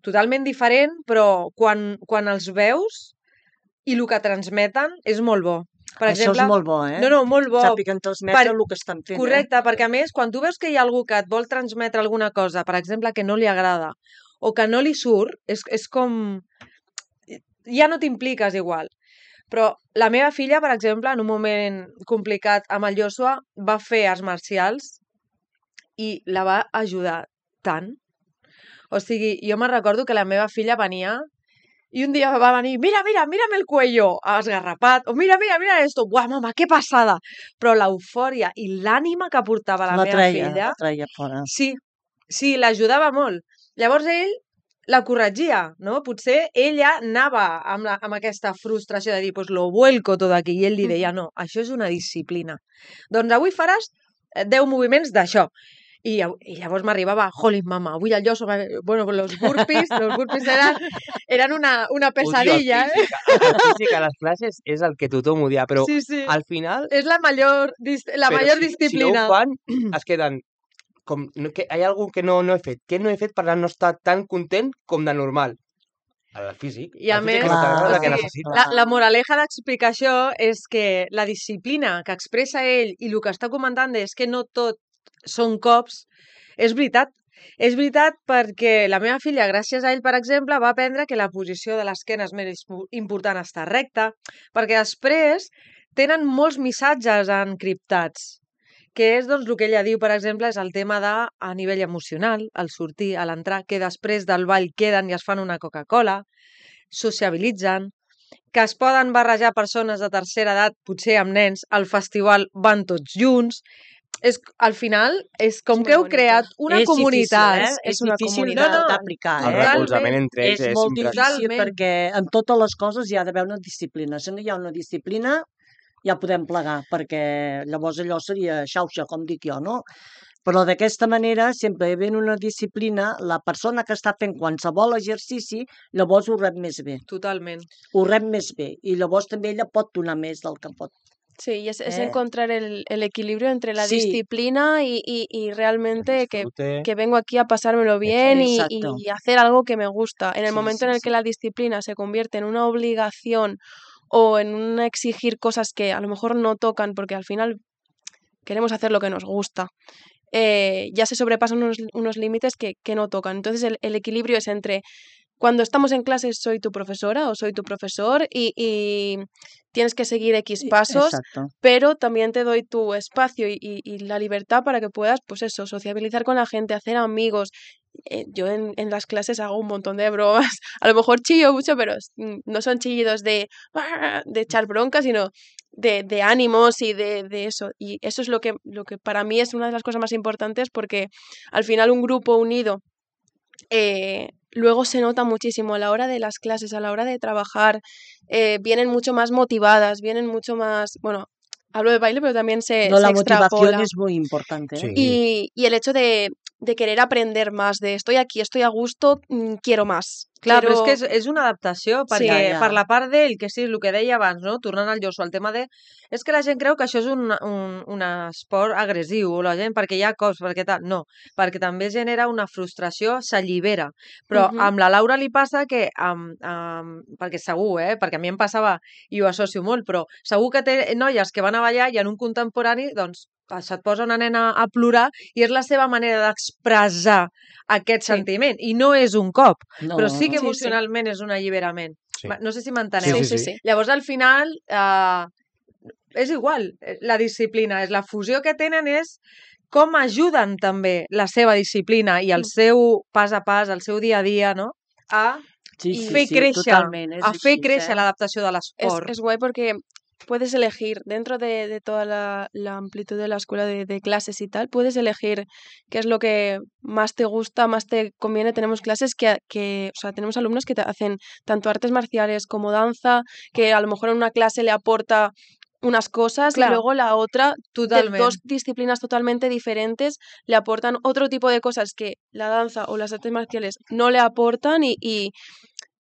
totalment diferent, però quan, quan els veus i el que transmeten és molt bo. Per Això exemple, és molt bo, eh? No, no, molt bo. Sàpiguen transmetre Per- el que estan fent, Correcte, eh? perquè a més, quan tu veus que hi ha algú que et vol transmetre alguna cosa, per exemple, que no li agrada, o que no li surt, és, és com... ja no t'impliques igual. Però la meva filla, per exemple, en un moment complicat amb el Joshua, va fer arts marcials i la va ajudar tant. O sigui, jo me'n recordo que la meva filla venia i un dia va venir, mira, mira, mírame el cuello, esgarrapat, o mira, mira, mira esto, buah, mama, que passada. Però l'eufòria i l'ànima que portava la, La meva treia, filla... la treia fora. Sí, sí, l'ajudava molt. Llavors ell la corregia, no? Potser ella anava amb, la, amb aquesta frustració de dir, pues lo vuelco tot aquí, i ell li deia, no, això és una disciplina. Doncs avui faràs deu moviments d'això. I, i llavors m'arribava, jolín, mama, avui el Joshua... Bueno, los burpees, los burpees eren, eren una, una pesadilla, Odio, el eh? físic, el físic a les classes és el que tothom odia, però Sí, sí. al final... És la major, dis- la però major si, disciplina. Si no ho fan, es queden... Com, no, que hi ha algú que no, no he fet. Què no he fet per no estar tan content com de normal? El físic. I a el més, físic que no t'agrada, clar, el que o sigui, necessites. la, la moraleja d'explicar això és que la disciplina que expressa ell i el que està comentant és que no tot són cops, és veritat. És veritat perquè la meva filla, gràcies a ell, per exemple, va aprendre que la posició de l'esquena és més important estar recta, perquè després tenen molts missatges encriptats, que és doncs, el que ella diu, per exemple, és el tema de, a nivell emocional, al sortir, a l'entrar, que després del ball queden i es fan una Coca-Cola, sociabilitzen, que es poden barrejar persones de tercera edat, potser amb nens, al festival van tots junts. És, al final, és com És que heu molt creat una és comunitat. Difícil, eh? És És una difícil comunitat. de- No, no, d'aplicar, El eh? recolzament entre ells És és, molt impressionant. difícil Totalment. perquè en totes les coses hi ha d'haver una disciplina. Si no hi ha una disciplina, ja podem plegar, perquè llavors allò seria xauxa, com dic jo, no? Però d'aquesta manera, sempre havent una disciplina, la persona que està fent qualsevol exercici, llavors ho rep més bé. Totalment. Ho rep més bé. I llavors també ella pot donar més del que pot. Sí, y es, es Eh. encontrar el, el equilibrio entre la Sí. disciplina y, y, y realmente que, Disfrute. que vengo aquí a pasármelo bien y, Exacto. y hacer algo que me gusta. En el Sí, momento sí, en el sí. que la disciplina se convierte en una obligación o en un exigir cosas que a lo mejor no tocan porque al final queremos hacer lo que nos gusta, eh, ya se sobrepasan unos, unos límites que, que no tocan. Entonces el, el equilibrio es entre cuando estamos en clase soy tu profesora o soy tu profesor y, y tienes que seguir X pasos, Exacto. pero también te doy tu espacio y, y- y la libertad para que puedas, pues eso, sociabilizar con la gente, hacer amigos. Eh, yo en, en las clases hago un montón de bromas, a lo mejor chillo mucho, pero es- mm, no son chillidos de, "Ah", de echar bronca, sino de, de ánimos y de, de eso. Y eso es lo que, lo que para mí es una de las cosas más importantes porque al final un grupo unido eh, luego se nota muchísimo a la hora de las clases, a la hora de trabajar, eh, vienen mucho más motivadas, vienen mucho más, bueno, hablo de baile, pero también se, No, se la motivación extrapola. es muy importante. ¿eh? Sí. Y, y el hecho de, de querer aprender más, de estoy aquí, estoy a gusto, mm, quiero más. Clar, però és quiero... que és, és una adaptació, Sí. perquè Ja, ja. per la part d'ell, que sí, el que deia abans, no? Tornant al Joshua, el tema de... És que la gent creu que això és un, un, un esport agressiu, o la gent perquè hi ha cops, perquè tal... No, perquè també genera una frustració, s'allibera. Però Mhm. amb la Laura li passa que... Amb, amb, perquè segur, eh? Perquè a mi em passava, i ho associo molt, però segur que té noies que van a ballar i en un contemporani, doncs, se't posa una nena a plorar i és la seva manera d'expressar aquest Sí. sentiment. I no és un cop, No, però sí que Sí, sí. emocionalment és un alliberament. Sí. Va, No sé si Sí, m'enteneu. sí, Sí, sí. sí. Llavors, al final, eh, és igual, eh, la disciplina. És la fusió que tenen és com ajuden també la seva disciplina i el Mm. seu pas a pas, el seu dia a dia, no? A Sí, Y sí, fer sí, créixer, totalment. És a fer així, créixer eh? l'adaptació de Es, l'esport. es guay porque puedes elegir dentro de, de toda la, la amplitud de la escuela de, de clases y tal, puedes elegir qué es lo que más te gusta, más te conviene. Tenemos clases que, que, o sea, tenemos alumnos que te hacen tanto artes marciales como danza, que a lo mejor en una clase le aporta unas cosas Clar. y luego la otra, de Totalment. dos disciplinas totalmente diferentes, le aportan otro tipo de cosas que la danza o las artes marciales no le aportan y, y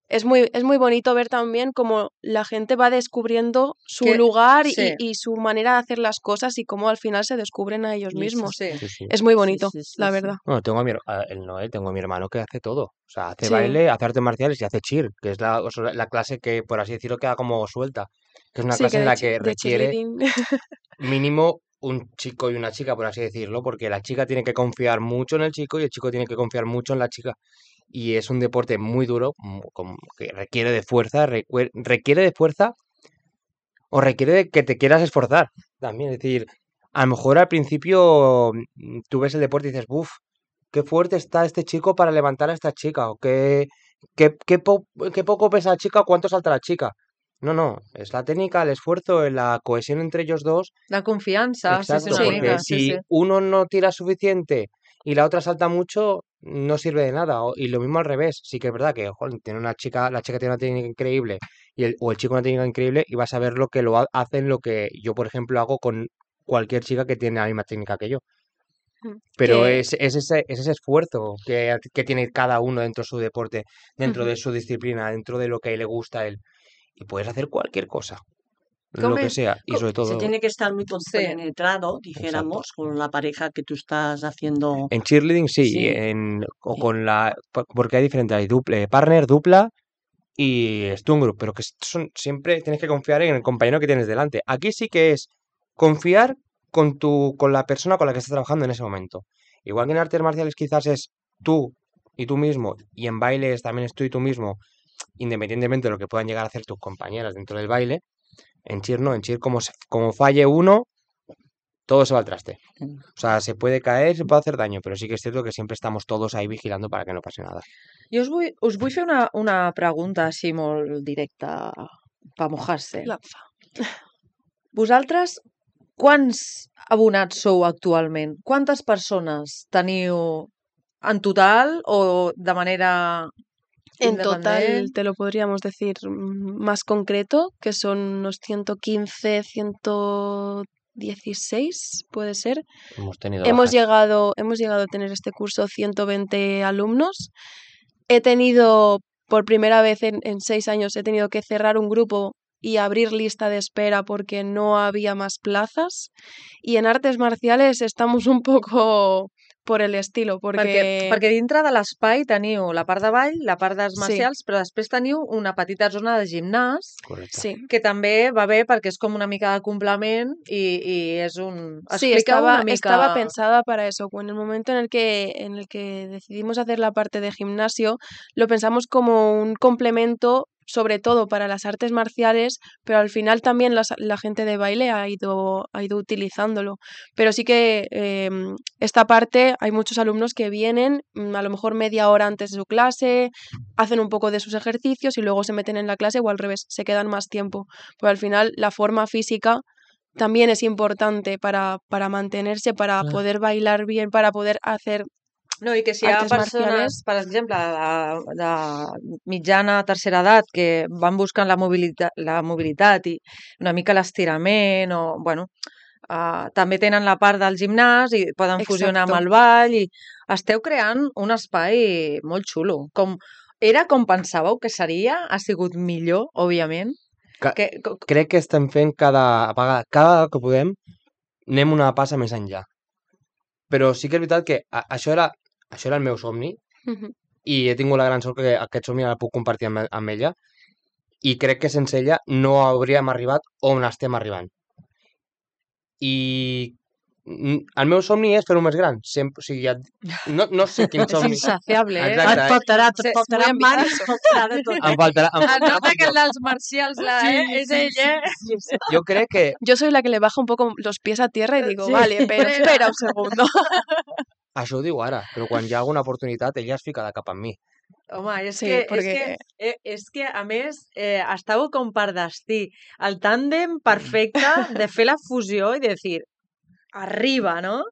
es muy, es muy bonito ver también cómo la gente va descubriendo su Que- lugar y- sí. y, su manera de hacer las cosas y cómo al final se descubren a ellos Sí, sí, mismos. Sí. Sí, sí. Es muy Sí, bonito, sí, sí, la sí. verdad. Bueno, tengo a mi, her- a- el Noel, tengo a mi hermano que hace todo. O sea, hace Sí. baile, hace artes marciales y hace cheer, que es la, o sea, la clase que, por así decirlo, queda como suelta. Que es una Sí, clase que en de, la chi- que de requiere cheerleading. mínimo un chico y una chica, por así decirlo, porque la chica tiene que confiar mucho en el chico y el chico tiene que confiar mucho en la chica. Y es un deporte muy duro, mu- com- que requiere de fuerza, recue- requiere de fuerza o requiere de que te quieras esforzar también. Es decir, a lo mejor al principio mm, tú ves el deporte y dices, uff, qué fuerte está este chico para levantar a esta chica, o qué, qué, qué, po- qué poco pesa la chica, o cuánto salta la chica. No, no, es la técnica, el esfuerzo, la cohesión entre ellos dos. La confiança, sí, sí, Exacto, una Sí. mica. porque Sí, si sí. uno no tira suficiente y la otra salta mucho, no sirve de nada. O- Y lo mismo al revés. Sí que es verdad que joder, tiene una chica, la chica tiene una técnica increíble y el, o el chico una técnica increíble y vas a ver lo que lo ha- hacen, lo que yo, por ejemplo, hago con cualquier chica que tiene la misma técnica que yo. Mm. Pero Que- es, es ese, es ese esfuerzo que, que tiene cada uno dentro de su deporte, dentro Ujú. de su disciplina, dentro de lo que le gusta a él. Y puedes hacer cualquier cosa, ¿Cómo lo que es? sea. Y Co- sobre Se todo tiene que estar muy Sí. compenetrado, dijéramos, con la pareja que tú estás haciendo. en cheerleading sí, Sí. en, o Sí. con la, po- porque hay diferentes, hay duple, partner, dupla y Stone Group, pero que son, siempre tienes que confiar en el compañero que tienes delante. Aquí sí que es confiar con tu, con la persona con la que estás trabajando en ese momento. Igual que en artes marciales quizás es tú y tú mismo, y en bailes también es tú y tú mismo, independientemente de lo que puedan llegar a hacer tus compañeras dentro del baile. En cheer no, en cheer como, se- como falle uno, todo se va al traste. Mm. O sea, se puede caer, se puede hacer daño, pero sí que es cierto que siempre estamos todos ahí vigilando para que no pase nada. Jo us vull, us vull fer una, una pregunta així molt directa per mojar-se. Lanza. Vosaltres, quants abonats sou actualment? Quantes persones teniu en total o de manera En total independent? te lo podríamos decir mm, más concreto, que son unos ciento quince, ciento dieciséis, puede ser. Hemos tenido Hemos bajas. llegado, hemos llegado a tener este curso ciento veinte alumnos. He tenido, por primera vez en, en seis años, he tenido que cerrar un grupo y abrir lista de espera porque no había más plazas. Y en artes marciales estamos un poco por el estilo, Perquè, porque... perquè dintre de l'espai teniu la part de ball, la part d'arts Sí. marcials, però després teniu una petita zona de gimnàs Correcto. Sí. que també va bé perquè és com una mica de complement i, i és un... Sí, Expliqueu estaba, una mica... estaba pensada para eso. En el momento en el que, en el que decidimos hacer la parte de gimnasio, lo pensamos como un complemento, sobre todo para las artes marciales, pero al final también las- la gente de baile ha ido, ha ido utilizándolo. Pero sí que eh, esta parte hay muchos alumnos que vienen mm, a lo mejor media hora antes de su clase, hacen un poco de sus ejercicios y luego se meten en la clase o al revés, se quedan más tiempo. Pero al final la forma física también es importante para, para mantenerse, para Claro. poder bailar bien, para poder hacer No, i que si hi ha artes persones, marciales. per exemple, de, de mitjana, tercera edat, que van buscant la mobilitat, la mobilitat i una mica l'estirament, o, bueno, uh, també tenen la part del gimnàs i poden fusionar amb Exacto. el ball i esteu creant un espai molt xulo. Com, era com pensàveu que seria? Ha sigut millor, òbviament? Que, Que, co- crec que estem fent cada vegada, cada vegada que podem, anem una passa més enllà. Però sí que és veritat que a, això, era, això era el meu somni Ujú. i he tingut la gran sort que aquest somni el puc compartir amb, amb ella i crec que sense ella no hauríem arribat on estem arribant. I mm, el meu somni és fer-ho més gran. Sempre, o sigui, ja, no, no sé quin Es somni... insaciable, ¿eh? Exacte. Et faltarà, Sí, et faltarà muy mans, ambicioso. et faltarà de tot. Em faltarà... Em Es faltarà nota que el tot. dels marcials la, eh? és ell, eh? Jo crec que Yo soy la que le baja un poco los pies a tierra y digo, Sí. vale, pero espera un segundo. això ho diu ara, però quan hi ha alguna oportunitat ella es fica de cap amb mi. Home, és, Sí, que, és, perquè- que, eh, és que, a més, eh, estàu com per destí. El tàndem perfecte de fer la fusió i de dir, arriba, no?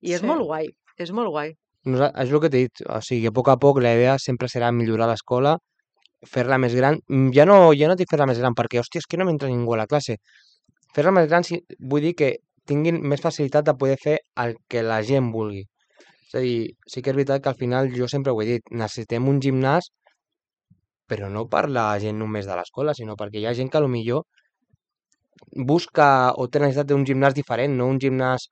I és Sí. molt guai, és molt guai. Nosa- és el que t'he dit, o sigui, a poc a poc la idea sempre serà millorar l'escola, fer-la més gran. Mm, Ja no, ja no dic fer-la més gran perquè, hòstia, és que no m'entra ningú a la classe. Fer-la més gran sí, vull dir que tinguin més facilitat de poder fer el que la gent vulgui. És a dir, sí que és veritat que al final, jo sempre ho he dit, necessitem un gimnàs, però no per la gent només de l'escola, sinó perquè hi ha gent que potser busca o té necessitat d'un gimnàs diferent, no un gimnàs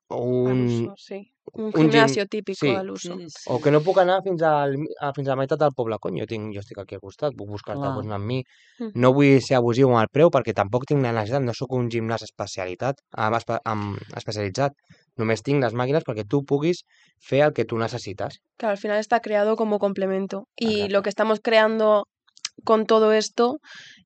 o Al un, uso, sí. Un, un gim- gimnasio típico sí. al uso. Sí, sí. o que no puc anar fins, al, a, fins a la meitat del poble. Cony, jo, tinc, jo estic aquí al costat, puc buscar-te, Clar. doncs anar amb mi. Mm. No vull ser abusiu amb el preu perquè tampoc tinc la necessitat, no sóc un gimnàs especialitat, amb, espe, amb, especialitzat. Només tinc les màquines perquè tu puguis fer el que tu necessites. Claro, al final está creado como complemento. Y Exacto. lo que estamos creando con todo esto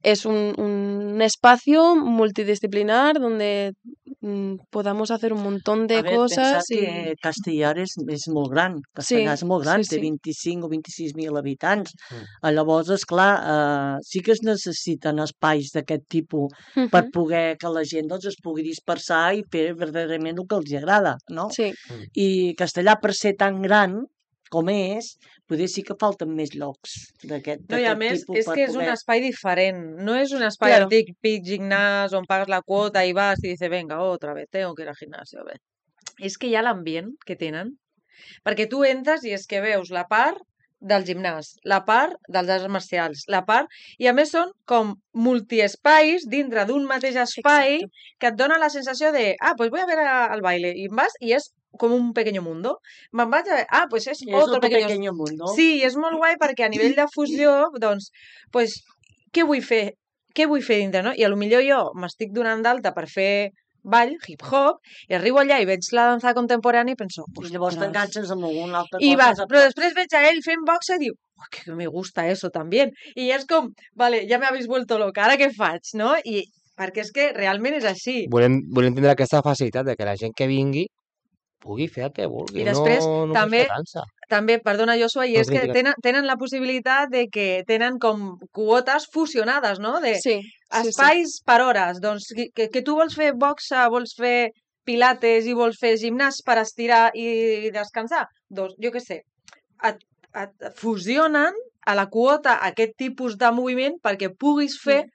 es un, un espacio multidisciplinar donde mm, podamos hacer un montón de A veure, pensar cosas y que Castellar és, és molt gran. Castellar és molt sí, gran, sí, té sí. vint-i-cinc o vint-i-sis mil habitants. Mm. Mm. Llavors, esclar, eh, sí que es necessiten espais d'aquest tipus per Ujú. poder que la gent doncs, es pugui dispersar i fer verdaderament el que els agrada, no? Sí, I Castellar, per ser tan gran com és, potser sí que falten més llocs d'aquest No, i a d'aquest més, tipus és per que és un poder... espai diferent. No és un espai Claro. típic gimnàs on pagues la quota i vas i dices, venga, otra vez, tengo que ir al gimnasio. A ver. És que hi ha l'ambient que tenen. Perquè tu entres i és que veus la part del gimnàs, la part dels arts marcials, la part... I a més són com multiespais dintre d'un mateix espai exacto. que et dona la sensació de, ah, pues voy a ver a- al baile. I vas i és com un pequeño mundo. Me'n vaig a ver, ah, pues és És otro otro pequeño... pequeño mundo. Sí, i és molt guai perquè a nivell de fusió, doncs, pues, què vull fer? Què vull fer dintre, no? I a lo millor jo m'estic donant d'alta per fer ball, hip-hop, i arribo allà i veig la dansa contemporània i penso, I llavors ostres. t'enganxes amb alguna altra I cosa. vas, de- però després veig a ell fent boxa i diu, oh, que me gusta eso también. I és com, vale, ja me habéis vuelto loca, ara què faig, no? I perquè és que realment és així. Volem, volem tindre aquesta facilitat de que la gent que vingui pugui fer el que vulgui, I després, no només també, fer dansa. també, perdona, Joshua, i No és que critiques. tenen, tenen la possibilitat de que tenen com quotes fusionades, no? De Sí, sí, sí. espais per hores. Doncs que, que, que tu vols fer boxa, vols fer pilates i vols fer gimnàs per estirar i descansar. Doncs, jo què sé, et, et fusionen a la quota aquest tipus de moviment perquè puguis fer...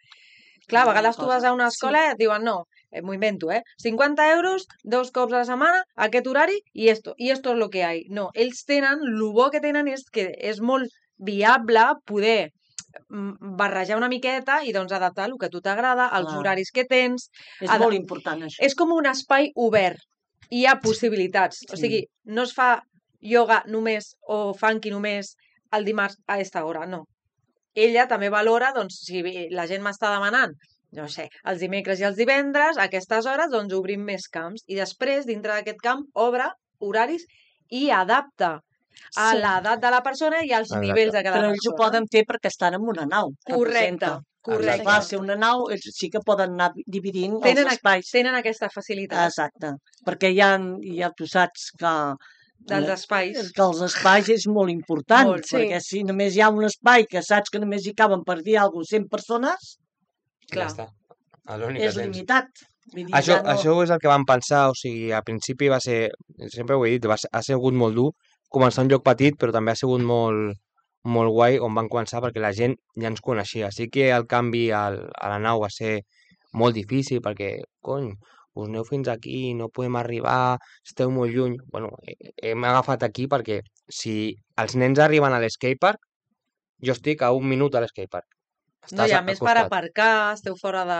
Clar, a Alguna vegades tu vas cosa. a una escola i et diuen, no, eh, m'ho invento, eh? cinquanta euros, dos cops a la setmana, aquest horari, i esto, i esto es lo que hay. No, ells tenen, el bo que tenen és que és molt viable poder mm, barrejar una miqueta i doncs adaptar el que a tu t'agrada, els Clar. horaris que tens. És Ada- molt important, això. És com un espai obert. Hi ha possibilitats. O Sí. sigui, no es fa ioga només o funky només el dimarts a aquesta hora, no. Ella també valora, doncs, si la gent m'està demanant, no sé, els dimecres i els divendres, a aquestes hores, doncs obrim més camps. I després, dintre d'aquest camp, obre horaris i adapta a Sí. l'edat de la persona i als Exacte. nivells de cada Però persona. ells ho poden fer perquè estan en una nau. Correcte, representa. correcte. Va ser una nau, ells sí que poden anar dividint Tenen, els espais. tenen aquesta facilitat Exacte. Perquè ja, ja tu saps que, dels espais. que els espais és molt important. Molt, sí. Perquè si només hi ha un espai que saps que només hi caben per dir alguna cosa cent persones, Clar. Ja està. És l'únic que és tens. limitat. Vull dir, Això, ja no... això és el que vam pensar, o sigui, al principi va ser, sempre ho he dit, va ser, ha sigut molt dur començar un lloc petit, però també ha sigut molt, molt guai on van començar perquè la gent ja ens coneixia. Sí que el canvi al, a la nau va ser molt difícil perquè, cony, us aneu fins aquí, no podem arribar, esteu molt lluny. Bueno, he- hem agafat aquí perquè si els nens arriben a l'escatepark, jo estic a un minut a l'escatepark. No, i Estàs a al més per costat. aparcar, esteu fora de,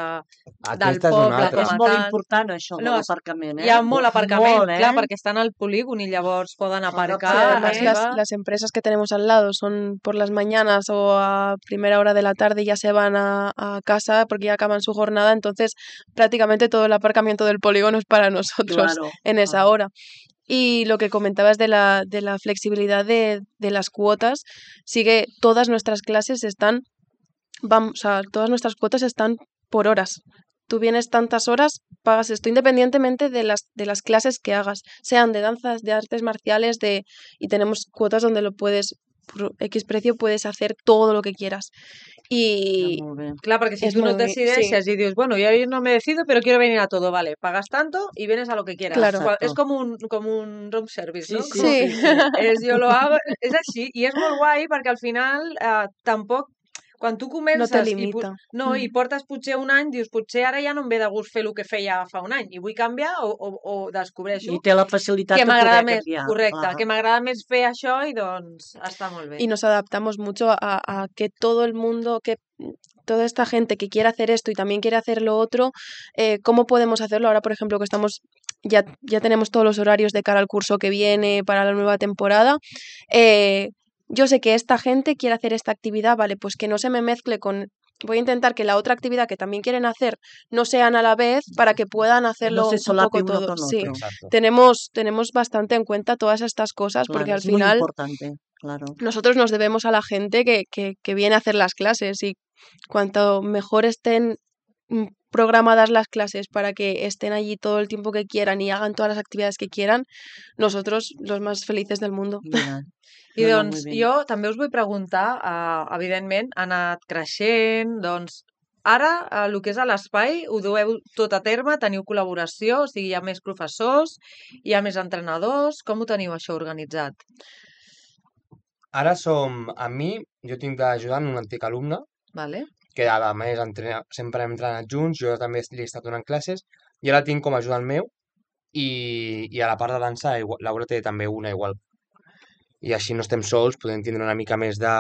del Aquesta és una poble altra. com És a molt tal. important això de No, és- l'aparcament, eh? Hi ha molt aparcament, Molt, eh? clar, perquè estan al polígon i llavors poden aparcar Sí, Ah, además las, arriba. las empresas que tenemos al lado son por las mañanas o a primera hora de la tarde ya se van a, a casa porque ya acaban su jornada, entonces prácticamente todo el aparcamiento del polígono es para nosotros Claro. en esa Ah. hora. Y lo que comentabas de la, de la flexibilidad de, de las cuotas, sigue, todas nuestras clases están, vamos, o sea, todas nuestras cuotas están por horas. Tú vienes tantas horas, pagas esto, independientemente de las, de las clases que hagas, sean de danzas, de artes marciales, de, y tenemos cuotas donde lo puedes, por X precio, puedes hacer todo lo que quieras. Y Molt bé. Clar, perquè si Es tú no muy- decideixes y dices, bueno, yo hoy no me decido, pero quiero venir a todo, vale, pagas tanto y vienes a lo que quieras. Claro. Qual- Exacto. És com un, com un room service, Sí, no? sí, Com- Sí. sí, sí. És, jo lo hago, és així, i és molt guai perquè al final eh, tampoc, quan tu no comences te i, pu- limita. no, i Mm. portes potser un any, dius, potser ara ja no em ve de gust fer el que feia fa un any i vull canviar o, o, o descobreixo I té la facilitat que de m'agrada poder més, canviar. correcte, clar. que m'agrada més fer això i doncs està molt bé. Y nos adaptamos mucho a, a que todo el mundo, que toda esta gente que quiere hacer esto y también quiere hacer lo otro, eh, ¿cómo podemos hacerlo? Ahora, por ejemplo, que estamos, ya, ya tenemos todos los horarios de cara al curso que viene, para la nueva temporada. eh, yo sé que esta gente quiere hacer esta actividad, vale, pues que no se me mezcle con... Voy a intentar que la otra actividad que también quieren hacer no sean a la vez para que puedan Que hacerlo no se un solape poco uno todo. con Sí, otro. Exacto. tenemos, tenemos bastante en cuenta todas estas cosas porque Claro, al es muy final importante, claro. nosotros nos debemos a la gente que, que, que viene a hacer las clases y cuanto mejor estén mm, programadas las clases para que estén allí todo el tiempo que quieran y hagan todas las actividades que quieran, nosotros los más felices del mundo. Mira, I no, no, doncs muy bien. jo també us vull preguntar, uh, evidentment, ha anat creixent, doncs ara uh, el que és a l'espai ho dueu tot a terme, teniu col·laboració, o sigui, hi ha més professors, hi ha més entrenadors, com ho teniu això organitzat? Ara som, a mi, jo tinc d'ajudant un antic alumne, Vale? que a més entrena, sempre hem entrenat junts, jo també li he estat donant classes, i ara tinc com a ajudant meu, i, i a la part de dansa igual, Laura té també una igual. I així no estem sols, podem tindre una mica més de...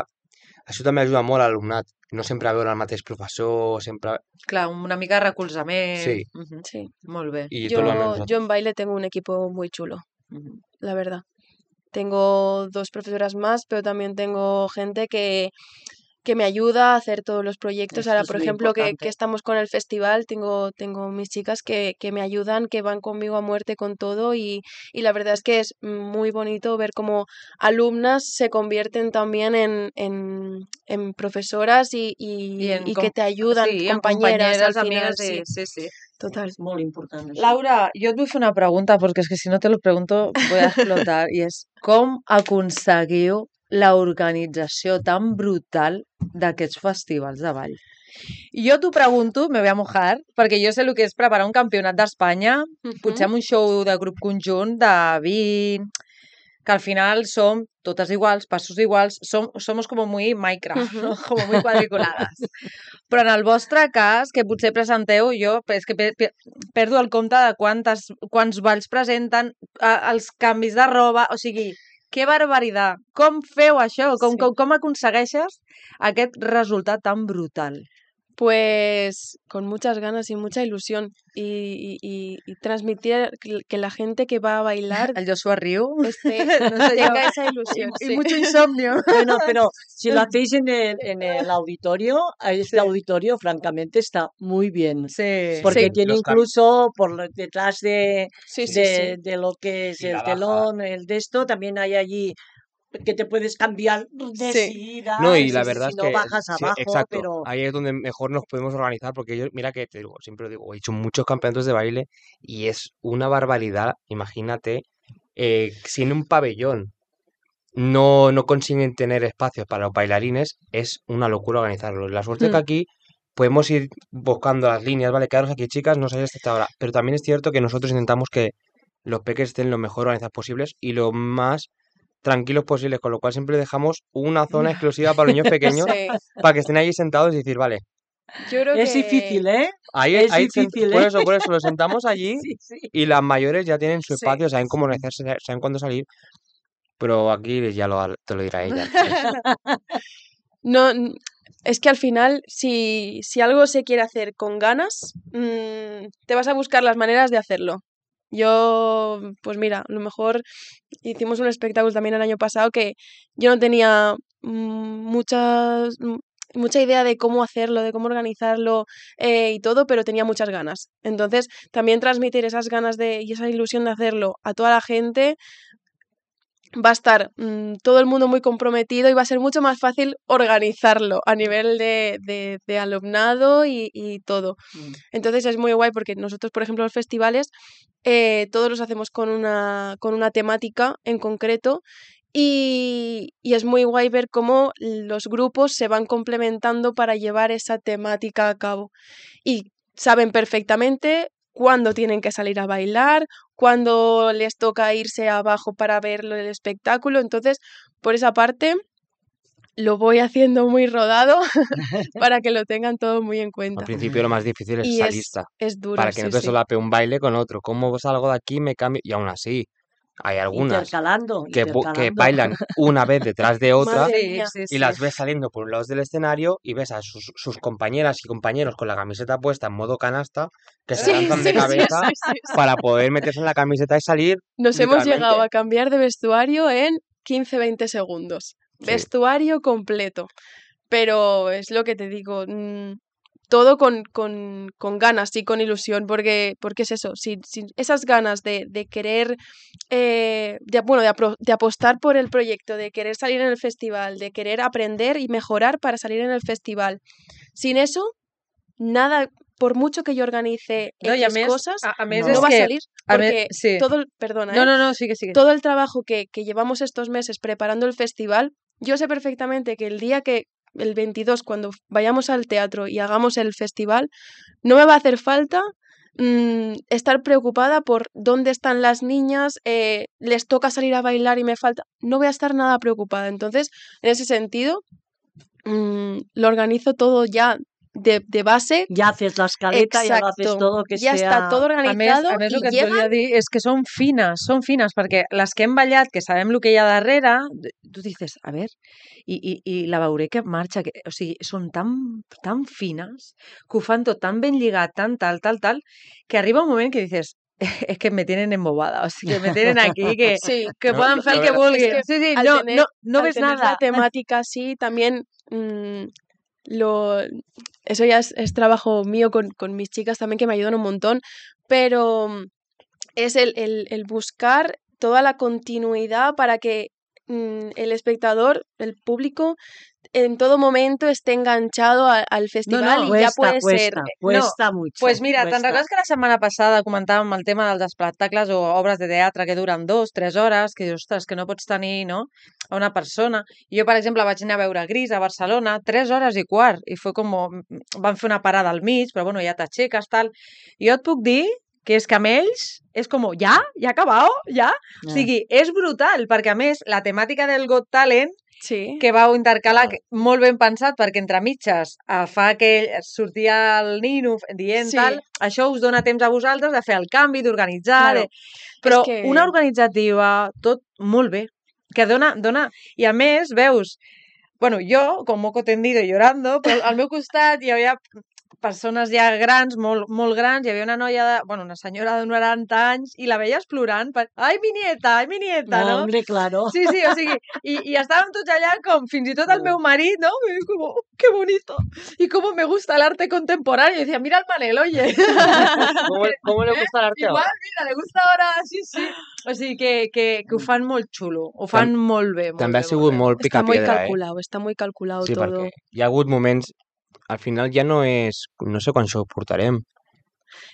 Això també ajuda molt a l'alumnat, no sempre veure el mateix professor, sempre... Clar, una mica de recolzament. Sí. Mhm. Sí. Molt bé. I tot el Yo, almenys yo en baile tengo un equipo muy chulo, Mhm. la verdad. Tengo dos profesoras más, pero también tengo gente que, que me ayuda a hacer todos los proyectos. Esto Ahora, es por muy ejemplo, que, importante. que estamos con el festival, tengo, tengo mis chicas que, que me ayudan, que van conmigo a muerte con todo y, y la verdad es que es muy bonito ver cómo alumnas se convierten también en, en, en profesoras y, y, I, en y com- que te ayudan, sí, en compañeras al companyeres, final, amigues, sí, sí, sí, sí. total. És molt important, això. Laura, jo et vull fer una pregunta, perquè és que si no te lo pregunto voy a explotar, i és com aconseguiu la organització tan brutal d'aquests festivals de ball? I jo t'ho pregunto, me voy a mojar, perquè jo sé el que és preparar un campionat d'Espanya, potser amb un show de grup conjunt de vint, que al final som totes iguals, passos iguals, som, somos como muy Minecraft, Ujú. no? Como muy cuadriculadas. Però en el vostre cas, que potser presenteu, jo és que pe- pe- perdo el compte de quantes, quants balls presenten, eh, els canvis de roba, o sigui, que barbaritat! Com feu això? Com, Sí. com, com aconsegueixes aquest resultat tan brutal? Pues con muchas ganas y mucha ilusión y, y- y- y transmitir que que la gente que va a bailar El Joshua riu. esté, No sé yo. tenga esa ilusión. Y sí. mucho insomnio. Bueno, pero si lo hacéis en el, en el auditorio, este Sí. auditorio francamente está muy bien. Sí. Porque Sí. tiene Los cam- incluso por lo- detrás de, Sí, sí, de, sí. de lo que es Y el la baja. telón, el de esto, también hay allí que te puedes cambiar de Sí. sida, No, y si- la si verdad es no que bajas sí, abajo, exacto. pero Ahí es donde mejor nos podemos organizar, porque yo, mira que te digo, siempre lo digo, he hecho muchos campeonatos de baile y es una barbaridad. Imagínate, eh, si en un pabellón no, no consiguen tener espacios para los bailarines, es una locura organizarlo. La suerte es que Mm. aquí podemos ir buscando las líneas, ¿vale? Quedaros aquí, chicas, no sabéis hasta esta hora. Pero también es cierto que nosotros intentamos que los peques estén lo mejor organizados posibles y lo más tranquilos posibles, con lo cual siempre dejamos una zona exclusiva para los niños pequeños Sí, para que estén allí sentados y decir, vale, yo creo Es que difícil, ¿eh? ahí, Es ahí sent- difícil, por ¿eh? eso, por eso, los sentamos allí Sí, sí. y las mayores ya tienen su sí. espacio, saben cómo organizarse, saben cuándo salir, pero aquí ya lo, te lo dirá ella. No, n- es que al final, si, si algo se quiere hacer con ganas, mm, te vas a buscar las maneras de hacerlo. Yo, pues mira, a lo mejor hicimos un espectáculo también el año pasado que yo no tenía mm, muchas, mm, mucha idea de cómo hacerlo, de cómo organizarlo eh, y todo, pero tenía muchas ganas. Entonces, también transmitir esas ganas de, y esa ilusión de hacerlo a toda la gente va a estar mm, todo el mundo muy comprometido y va a ser mucho más fácil organizarlo a nivel de, de, de alumnado y, y todo. Mm. Entonces es muy guay porque nosotros, por ejemplo, los festivales, eh, todos los hacemos con una, con una temática en concreto y, y es muy guay ver cómo los grupos se van complementando para llevar esa temática a cabo. Y saben perfectamente cuándo tienen que salir a bailar, cuándo les toca irse abajo para ver el espectáculo. Entonces, por esa parte, lo voy haciendo muy rodado para que lo tengan todo muy en Al cuenta. principio lo más difícil es Y esa es, lista, es duro, para que sí, no te sí. solape un baile con otro. ¿Cómo salgo de aquí? Me cambio. Y aún así, hay algunas Intercalando, que, bu- que intercalando. bailan una vez detrás de otra Madre Sí, mía. sí, y sí. las ves saliendo por un lado del escenario y ves a sus, sus compañeras y compañeros con la camiseta puesta en modo canasta que se Sí, lanzan sí, de sí, cabeza sí, sí, sí. para poder meterse en la camiseta y salir Nos hemos llegado literalmente. a cambiar de vestuario en quince veinte segundos. Sí. Vestuario completo. Pero es lo que te digo, mm, todo con, con, con ganas y con ilusión, porque, porque es eso, si, si esas ganas de, de querer, eh, de, bueno, de, apro- de apostar por el proyecto, de querer salir en el festival, de querer aprender y mejorar para salir en el festival, sin eso, nada, por mucho que yo organice No, i a X més, cosas, a, a més No. és no va a que... salir, A més, porque sí. todo el, perdona, No, ¿eh? no, no, sigue, sigue. todo el trabajo que, que llevamos estos meses preparando el festival, yo sé perfectamente que el día que, el veintidós, cuando vayamos al teatro y hagamos el festival, no me va a hacer falta mm, estar preocupada por dónde están las niñas, eh, les toca salir a bailar y me falta. No voy a estar nada preocupada. Entonces, en ese sentido, mm, lo organizo todo ya de, de base. Ya haces la escaleta, ya lo haces Exacto. todo que Ya sea... está todo A més, organizado a més, el y que et llegan. volia dir és que són fines, són fines, perquè les que hem ballat, que sabem el que hi ha darrere, tu dices, a ver, i, i, i la veuré que marxa, que, o sigui, són tan, tan fines, que ho fan tot tan ben lligat, tan tal, tal, tal, que arriba un moment que dices, es que me tienen embobada, o sigui, que me tienen aquí, que, Sí. que No, poden no, fer el no que era- vulguin. Es que Sí, sí, al no, tener- no, no al ves tener nada. la temática así, también mm, lo, eso ya es, es trabajo mío con, con mis chicas también que me ayudan un montón, pero mm, es el, el- el buscar toda la continuidad para que mm, el espectador, el público, en todo momento esté enganchado a- al festival no, y ya Cuesta, puede ser. cuesta, cuesta mucho. Pues mira, te'n cuesta. recordes que la setmana passada comentàvem el tema dels espectacles o obres de teatre que duren dos, tres hores, que dius, ostres, que no pots tenir, no?, a una persona. I jo, per exemple, vaig anar a veure Gris a Barcelona, tres hores i quart, i fue com... Van fer una parada al mig, però bueno, ja t'aixeques, tal. I jo et puc dir que és que amb ells és com, ja? Ja ha acabat? Ja? O Ah. sigui, és brutal, perquè a més, la temàtica del Got Talent Sí. que vau intercalar, Ah. que- molt ben pensat, perquè entre mitges eh, fa que sortia el nino dient Sí. tal, això us dona temps a vosaltres de fer el canvi, d'organitzar, Claro. de... però Es que- una organitzativa, tot molt bé, que dona, dona... I a més, veus, bueno, jo, com moco tendido i llorando, però al meu costat hi havia persones ja grans, molt, molt grans, hi havia una noia, de, bueno, una senyora de noranta anys, i la veies plorant, per, ai, mi nieta, ai, mi nieta, No, no? hombre, claro. Sí, sí, o sigui, i, i estàvem tots allà com, fins i tot el meu marit, ¿no? Me dijo como, qué bonito, y cómo me gusta el arte contemporáneo. Y decía, mira el Manel, oye. ¿Cómo, cómo le gusta el arte Igual, ahora? mira, le gusta ahora, sí, sí. O sigui, que, que, que ho fan molt xulo, ho fan Tam- molt bé, molt També bé, ha sigut molt bé. molt Está muy picapiedra, eh? calculado, está muy calculado Sí, todo. perquè hi ha hagut moments... Al final ja no és... No sé quan shows portarem.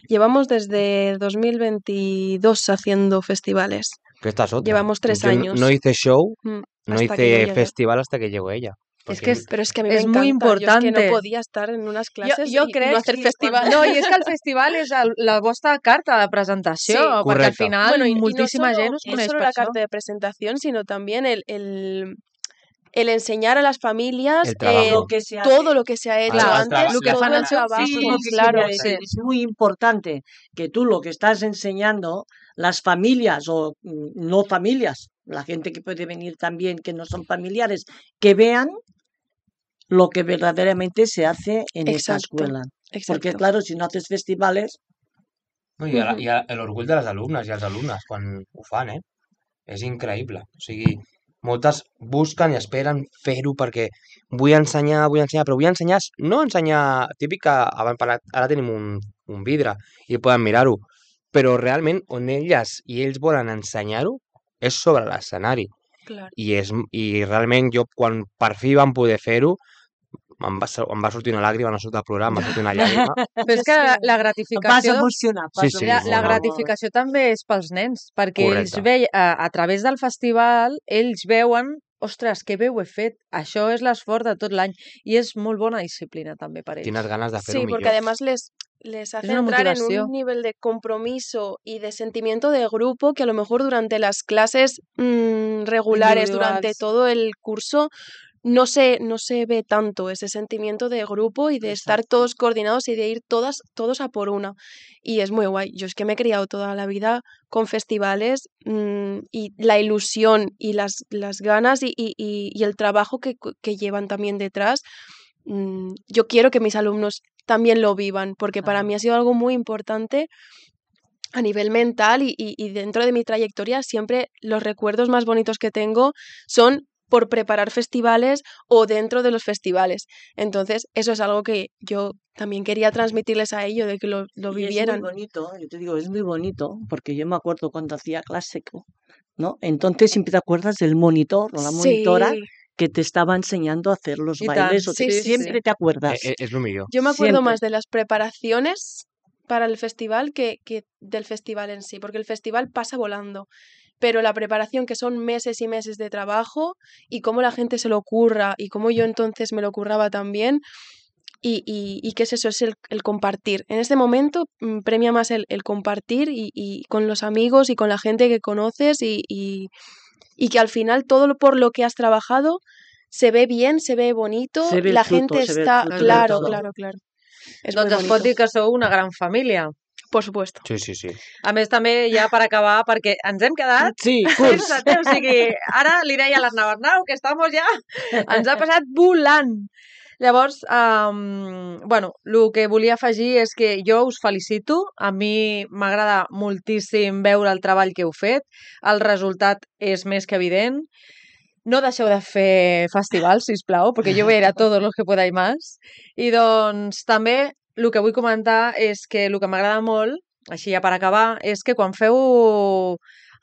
Llevamos desde dos mil veintidós haciendo festivales. Que esta es otra. Llevamos tres Yo no- años. No hice show, Mm, no hasta que yo hice llegué. festival hasta que llegó ella. És que és, Pero es que a mí es me muy encanta. Yo es que no importante. podía estar en unas clases jo y crec no hacer que festival. No, i és que el festival és el, la vostra carta de presentació, Sí. perquè al Correcte. final Bueno, y, y no moltíssima solo, gent us no coneix solo per la això. carta de presentación, sino también el, el, el enseñar a las familias El trabajo. eh, Lo que se hace. todo lo que se ha hecho Claro, el antes, traba- lo que todo fan el al seu trabajo, Eso es fill, lo que claro. quería decir. Es muy importante que tú lo que estás enseñando, las familias o mm, no familias, la gente que puede venir también que no son familiares, que vean lo que verdaderamente se hace en esa Exacto, escuela. Porque exacto. claro, si no haces festivales, No, I, a, Ujú. i a, l'orgull de les alumnes i els alumnes quan ho fan, eh? És increïble. O sigui, moltes busquen i esperen fer-ho perquè vull ensenyar, vull ensenyar, però vull ensenyar, no ensenyar, típic que abans parlat, ara tenim un, un vidre i poden mirar-ho, però realment on elles i ells volen ensenyar-ho és sobre l'escenari. Claro. I, és, I realment jo, quan per fi vam poder fer-ho, em va, em va sortir una làgrima, no surt a plorar, em va sortir una llàgrima. Però és Jo que és la, que- la vas gratificació... emocionar. Sí, Vas sí, La, emocionar. la no, no. gratificació també és pels nens, perquè ells Correcte. veien, a, a través del festival, ells veuen, ostres, que bé ho he fet, això és l'esforç de tot l'any, i és molt bona disciplina també per ells. Tienes ganes de fer-ho Sí, porque millor. además les, les hace una entrar en motivació. un nivel de compromiso y de sentimiento de grupo que a lo mejor durante las clases mm, regulares, durante Individuals. todo el curso, no se, no se ve tanto ese sentimiento de grupo y de estar Exacto. todos coordinados y de ir todas, todos a por una. Y es muy guay. Yo es que me he criado toda la vida con festivales mm, y la ilusión y las, las ganas y, y- y- y el trabajo que, que llevan también detrás. mm, Yo quiero que mis alumnos también lo vivan, porque para Claro. mí ha sido algo muy importante a nivel mental y, y- y dentro de mi trayectoria siempre los recuerdos más bonitos que tengo son por preparar festivales o dentro de los festivales. Entonces, eso es algo que yo también quería transmitirles a ellos, de que lo, lo Y es muy vivieran. bonito, yo te digo, es muy bonito, porque yo me acuerdo cuando hacía clásico, ¿no? Entonces siempre te acuerdas del monitor o la monitora Sí, que te estaba enseñando a hacer los I tant, bailes, o te- sí, sí, siempre sí. te Eh, acuerdas. eh, és el millor. yo me acuerdo Siempre. más de las preparaciones para el festival que, que del festival en sí, porque el festival pasa volando, pero la preparación, que son meses y meses de trabajo, y cómo la gente se lo curra, y cómo yo entonces me lo curraba también, y, y, y qué es eso, es el, el compartir. En este momento mm, premia más el, el compartir y, y con los amigos y con la gente que conoces y, y, y que al final todo lo por lo que has trabajado se ve bien, se ve bonito, Se ve el la fruto, gente se ve el está, fruto de claro, todo. claro, claro. Es Doncs muy es pot bonito, dir que sou una gran família. por supuesto. Sí, sí, sí. A més, també ja per acabar, perquè ens hem quedat Sí, curs. sense temps. O sigui, ara li deia a l'Arnau, Arnau, que estamos ja... Ens ha passat volant. Llavors, um, bueno, el que volia afegir és que jo us felicito. A mi m'agrada moltíssim veure el treball que heu fet. El resultat és més que evident. No deixeu de fer festivals, sisplau, perquè jo voy a ir a todos los que podáis más. I doncs també el que vull comentar és que el que m'agrada molt, així ja per acabar, és que quan feu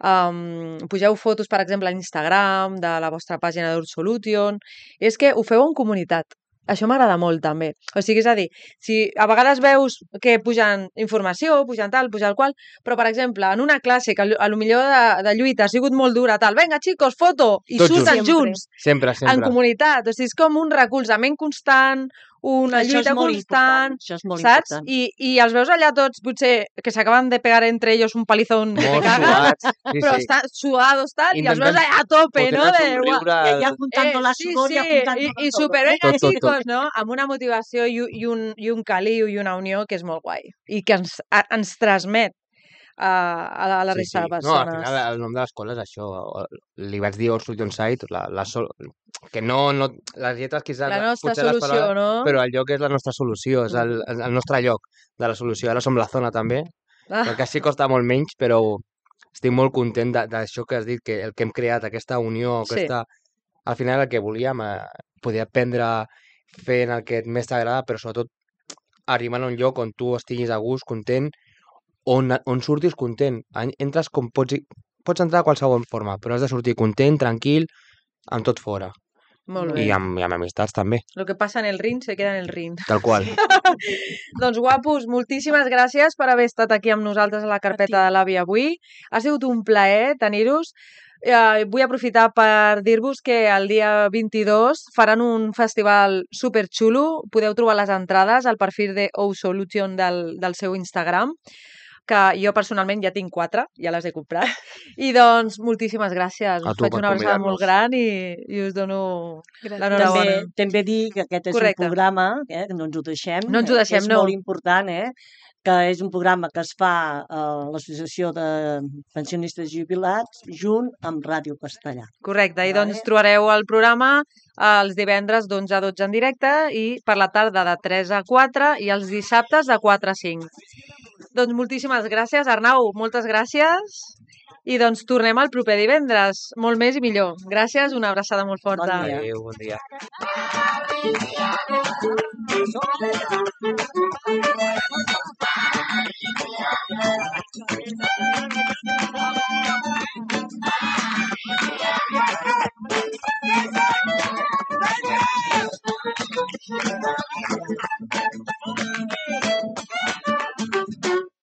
um, pugeu fotos, per exemple, a Instagram de la vostra pàgina d'Ursolution, és que ho feu en comunitat. Això m'agrada molt, també. O sigui, és a dir, si a vegades veus que pujan informació, pujan tal, pujan el qual, però, per exemple, en una classe que a lo millor de, de lluita ha sigut molt dura, tal, vinga, xicos, foto, i Tots surten junts. junts, Sempre, en sempre. comunitat. O sigui, és com un recolzament constant, una Això és lluita molt constant, important. Això és molt saps? important. I, I els veus allà tots, potser, que s'acaben de pegar entre ells un palizón que te Molt cagas, sudats. Sí, però sí. estan sudados, tal, i els veus Intentem allà a tope, no? fotre-nos De, un "Guau, riure. Y allá juntando la sí, sudor sí, y apuntando i, i todo. super, vinga, Tot, tot, tot. xicos, no? Amb una motivació i, i, un, i un caliu i una unió que és molt guai i que ens, a, ens transmet a, a la, a la Sí, resta sí. de No, al persones. final el nom de l'escola és això. Li vaig dir Ursolution Site, la, la sol... que no, no... Les lletres quizás... La nostra potser les solució, paraules, no? però el lloc és la nostra solució, és el, el nostre lloc de la solució. Ara som la zona també, Ah, perquè així costa molt menys, però estic molt content de- d'això que has dit, que el que hem creat, aquesta unió, Sí. aquesta... Al final el que volíem, eh, poder aprendre fent el que més t'agrada, però sobretot arribant a un lloc on tu estiguis a gust, content, on, on surtis content. En- Entres com pots, i- pots entrar de qualsevol forma, però has de sortir content, tranquil, amb tot fora. molt bé. I amb, i amb amistats també, Lo que passa en el ring se queda en el ring. tal qual. Doncs guapos, moltíssimes gràcies per haver estat aquí amb nosaltres a la carpeta ti. de l'Avi avui. Ha sigut un plaer tenir-vos. Eh, vull aprofitar per dir-vos que el dia vint-i-dos faran un festival superxulo. Podeu trobar les entrades al perfil de O Solution del, del seu Instagram, que jo personalment ja tinc quatre, ja les he comprat. I doncs, moltíssimes gràcies. A Us tu faig per una abraçada molt convidar-nos. gran i, i us dono Gràcies. l'enhorabona. També, també dir que aquest és Correcte. un programa, eh, que no ens ho deixem, No ens ho eh, deixem, que és no. molt important, eh, que és un programa que es fa a l'Associació de Pensionistes Jubilats junt amb Ràdio Castellà. Correcte, i Vale. doncs trobareu el programa els divendres d'onze a dotze en directe i per la tarda de tres a quatre i els dissabtes de quatre a cinc. Doncs moltíssimes gràcies, Arnau, moltes gràcies. I doncs tornem el proper divendres, molt més i millor. Gràcies, una abraçada molt forta. Bon dia. Adéu, bon dia.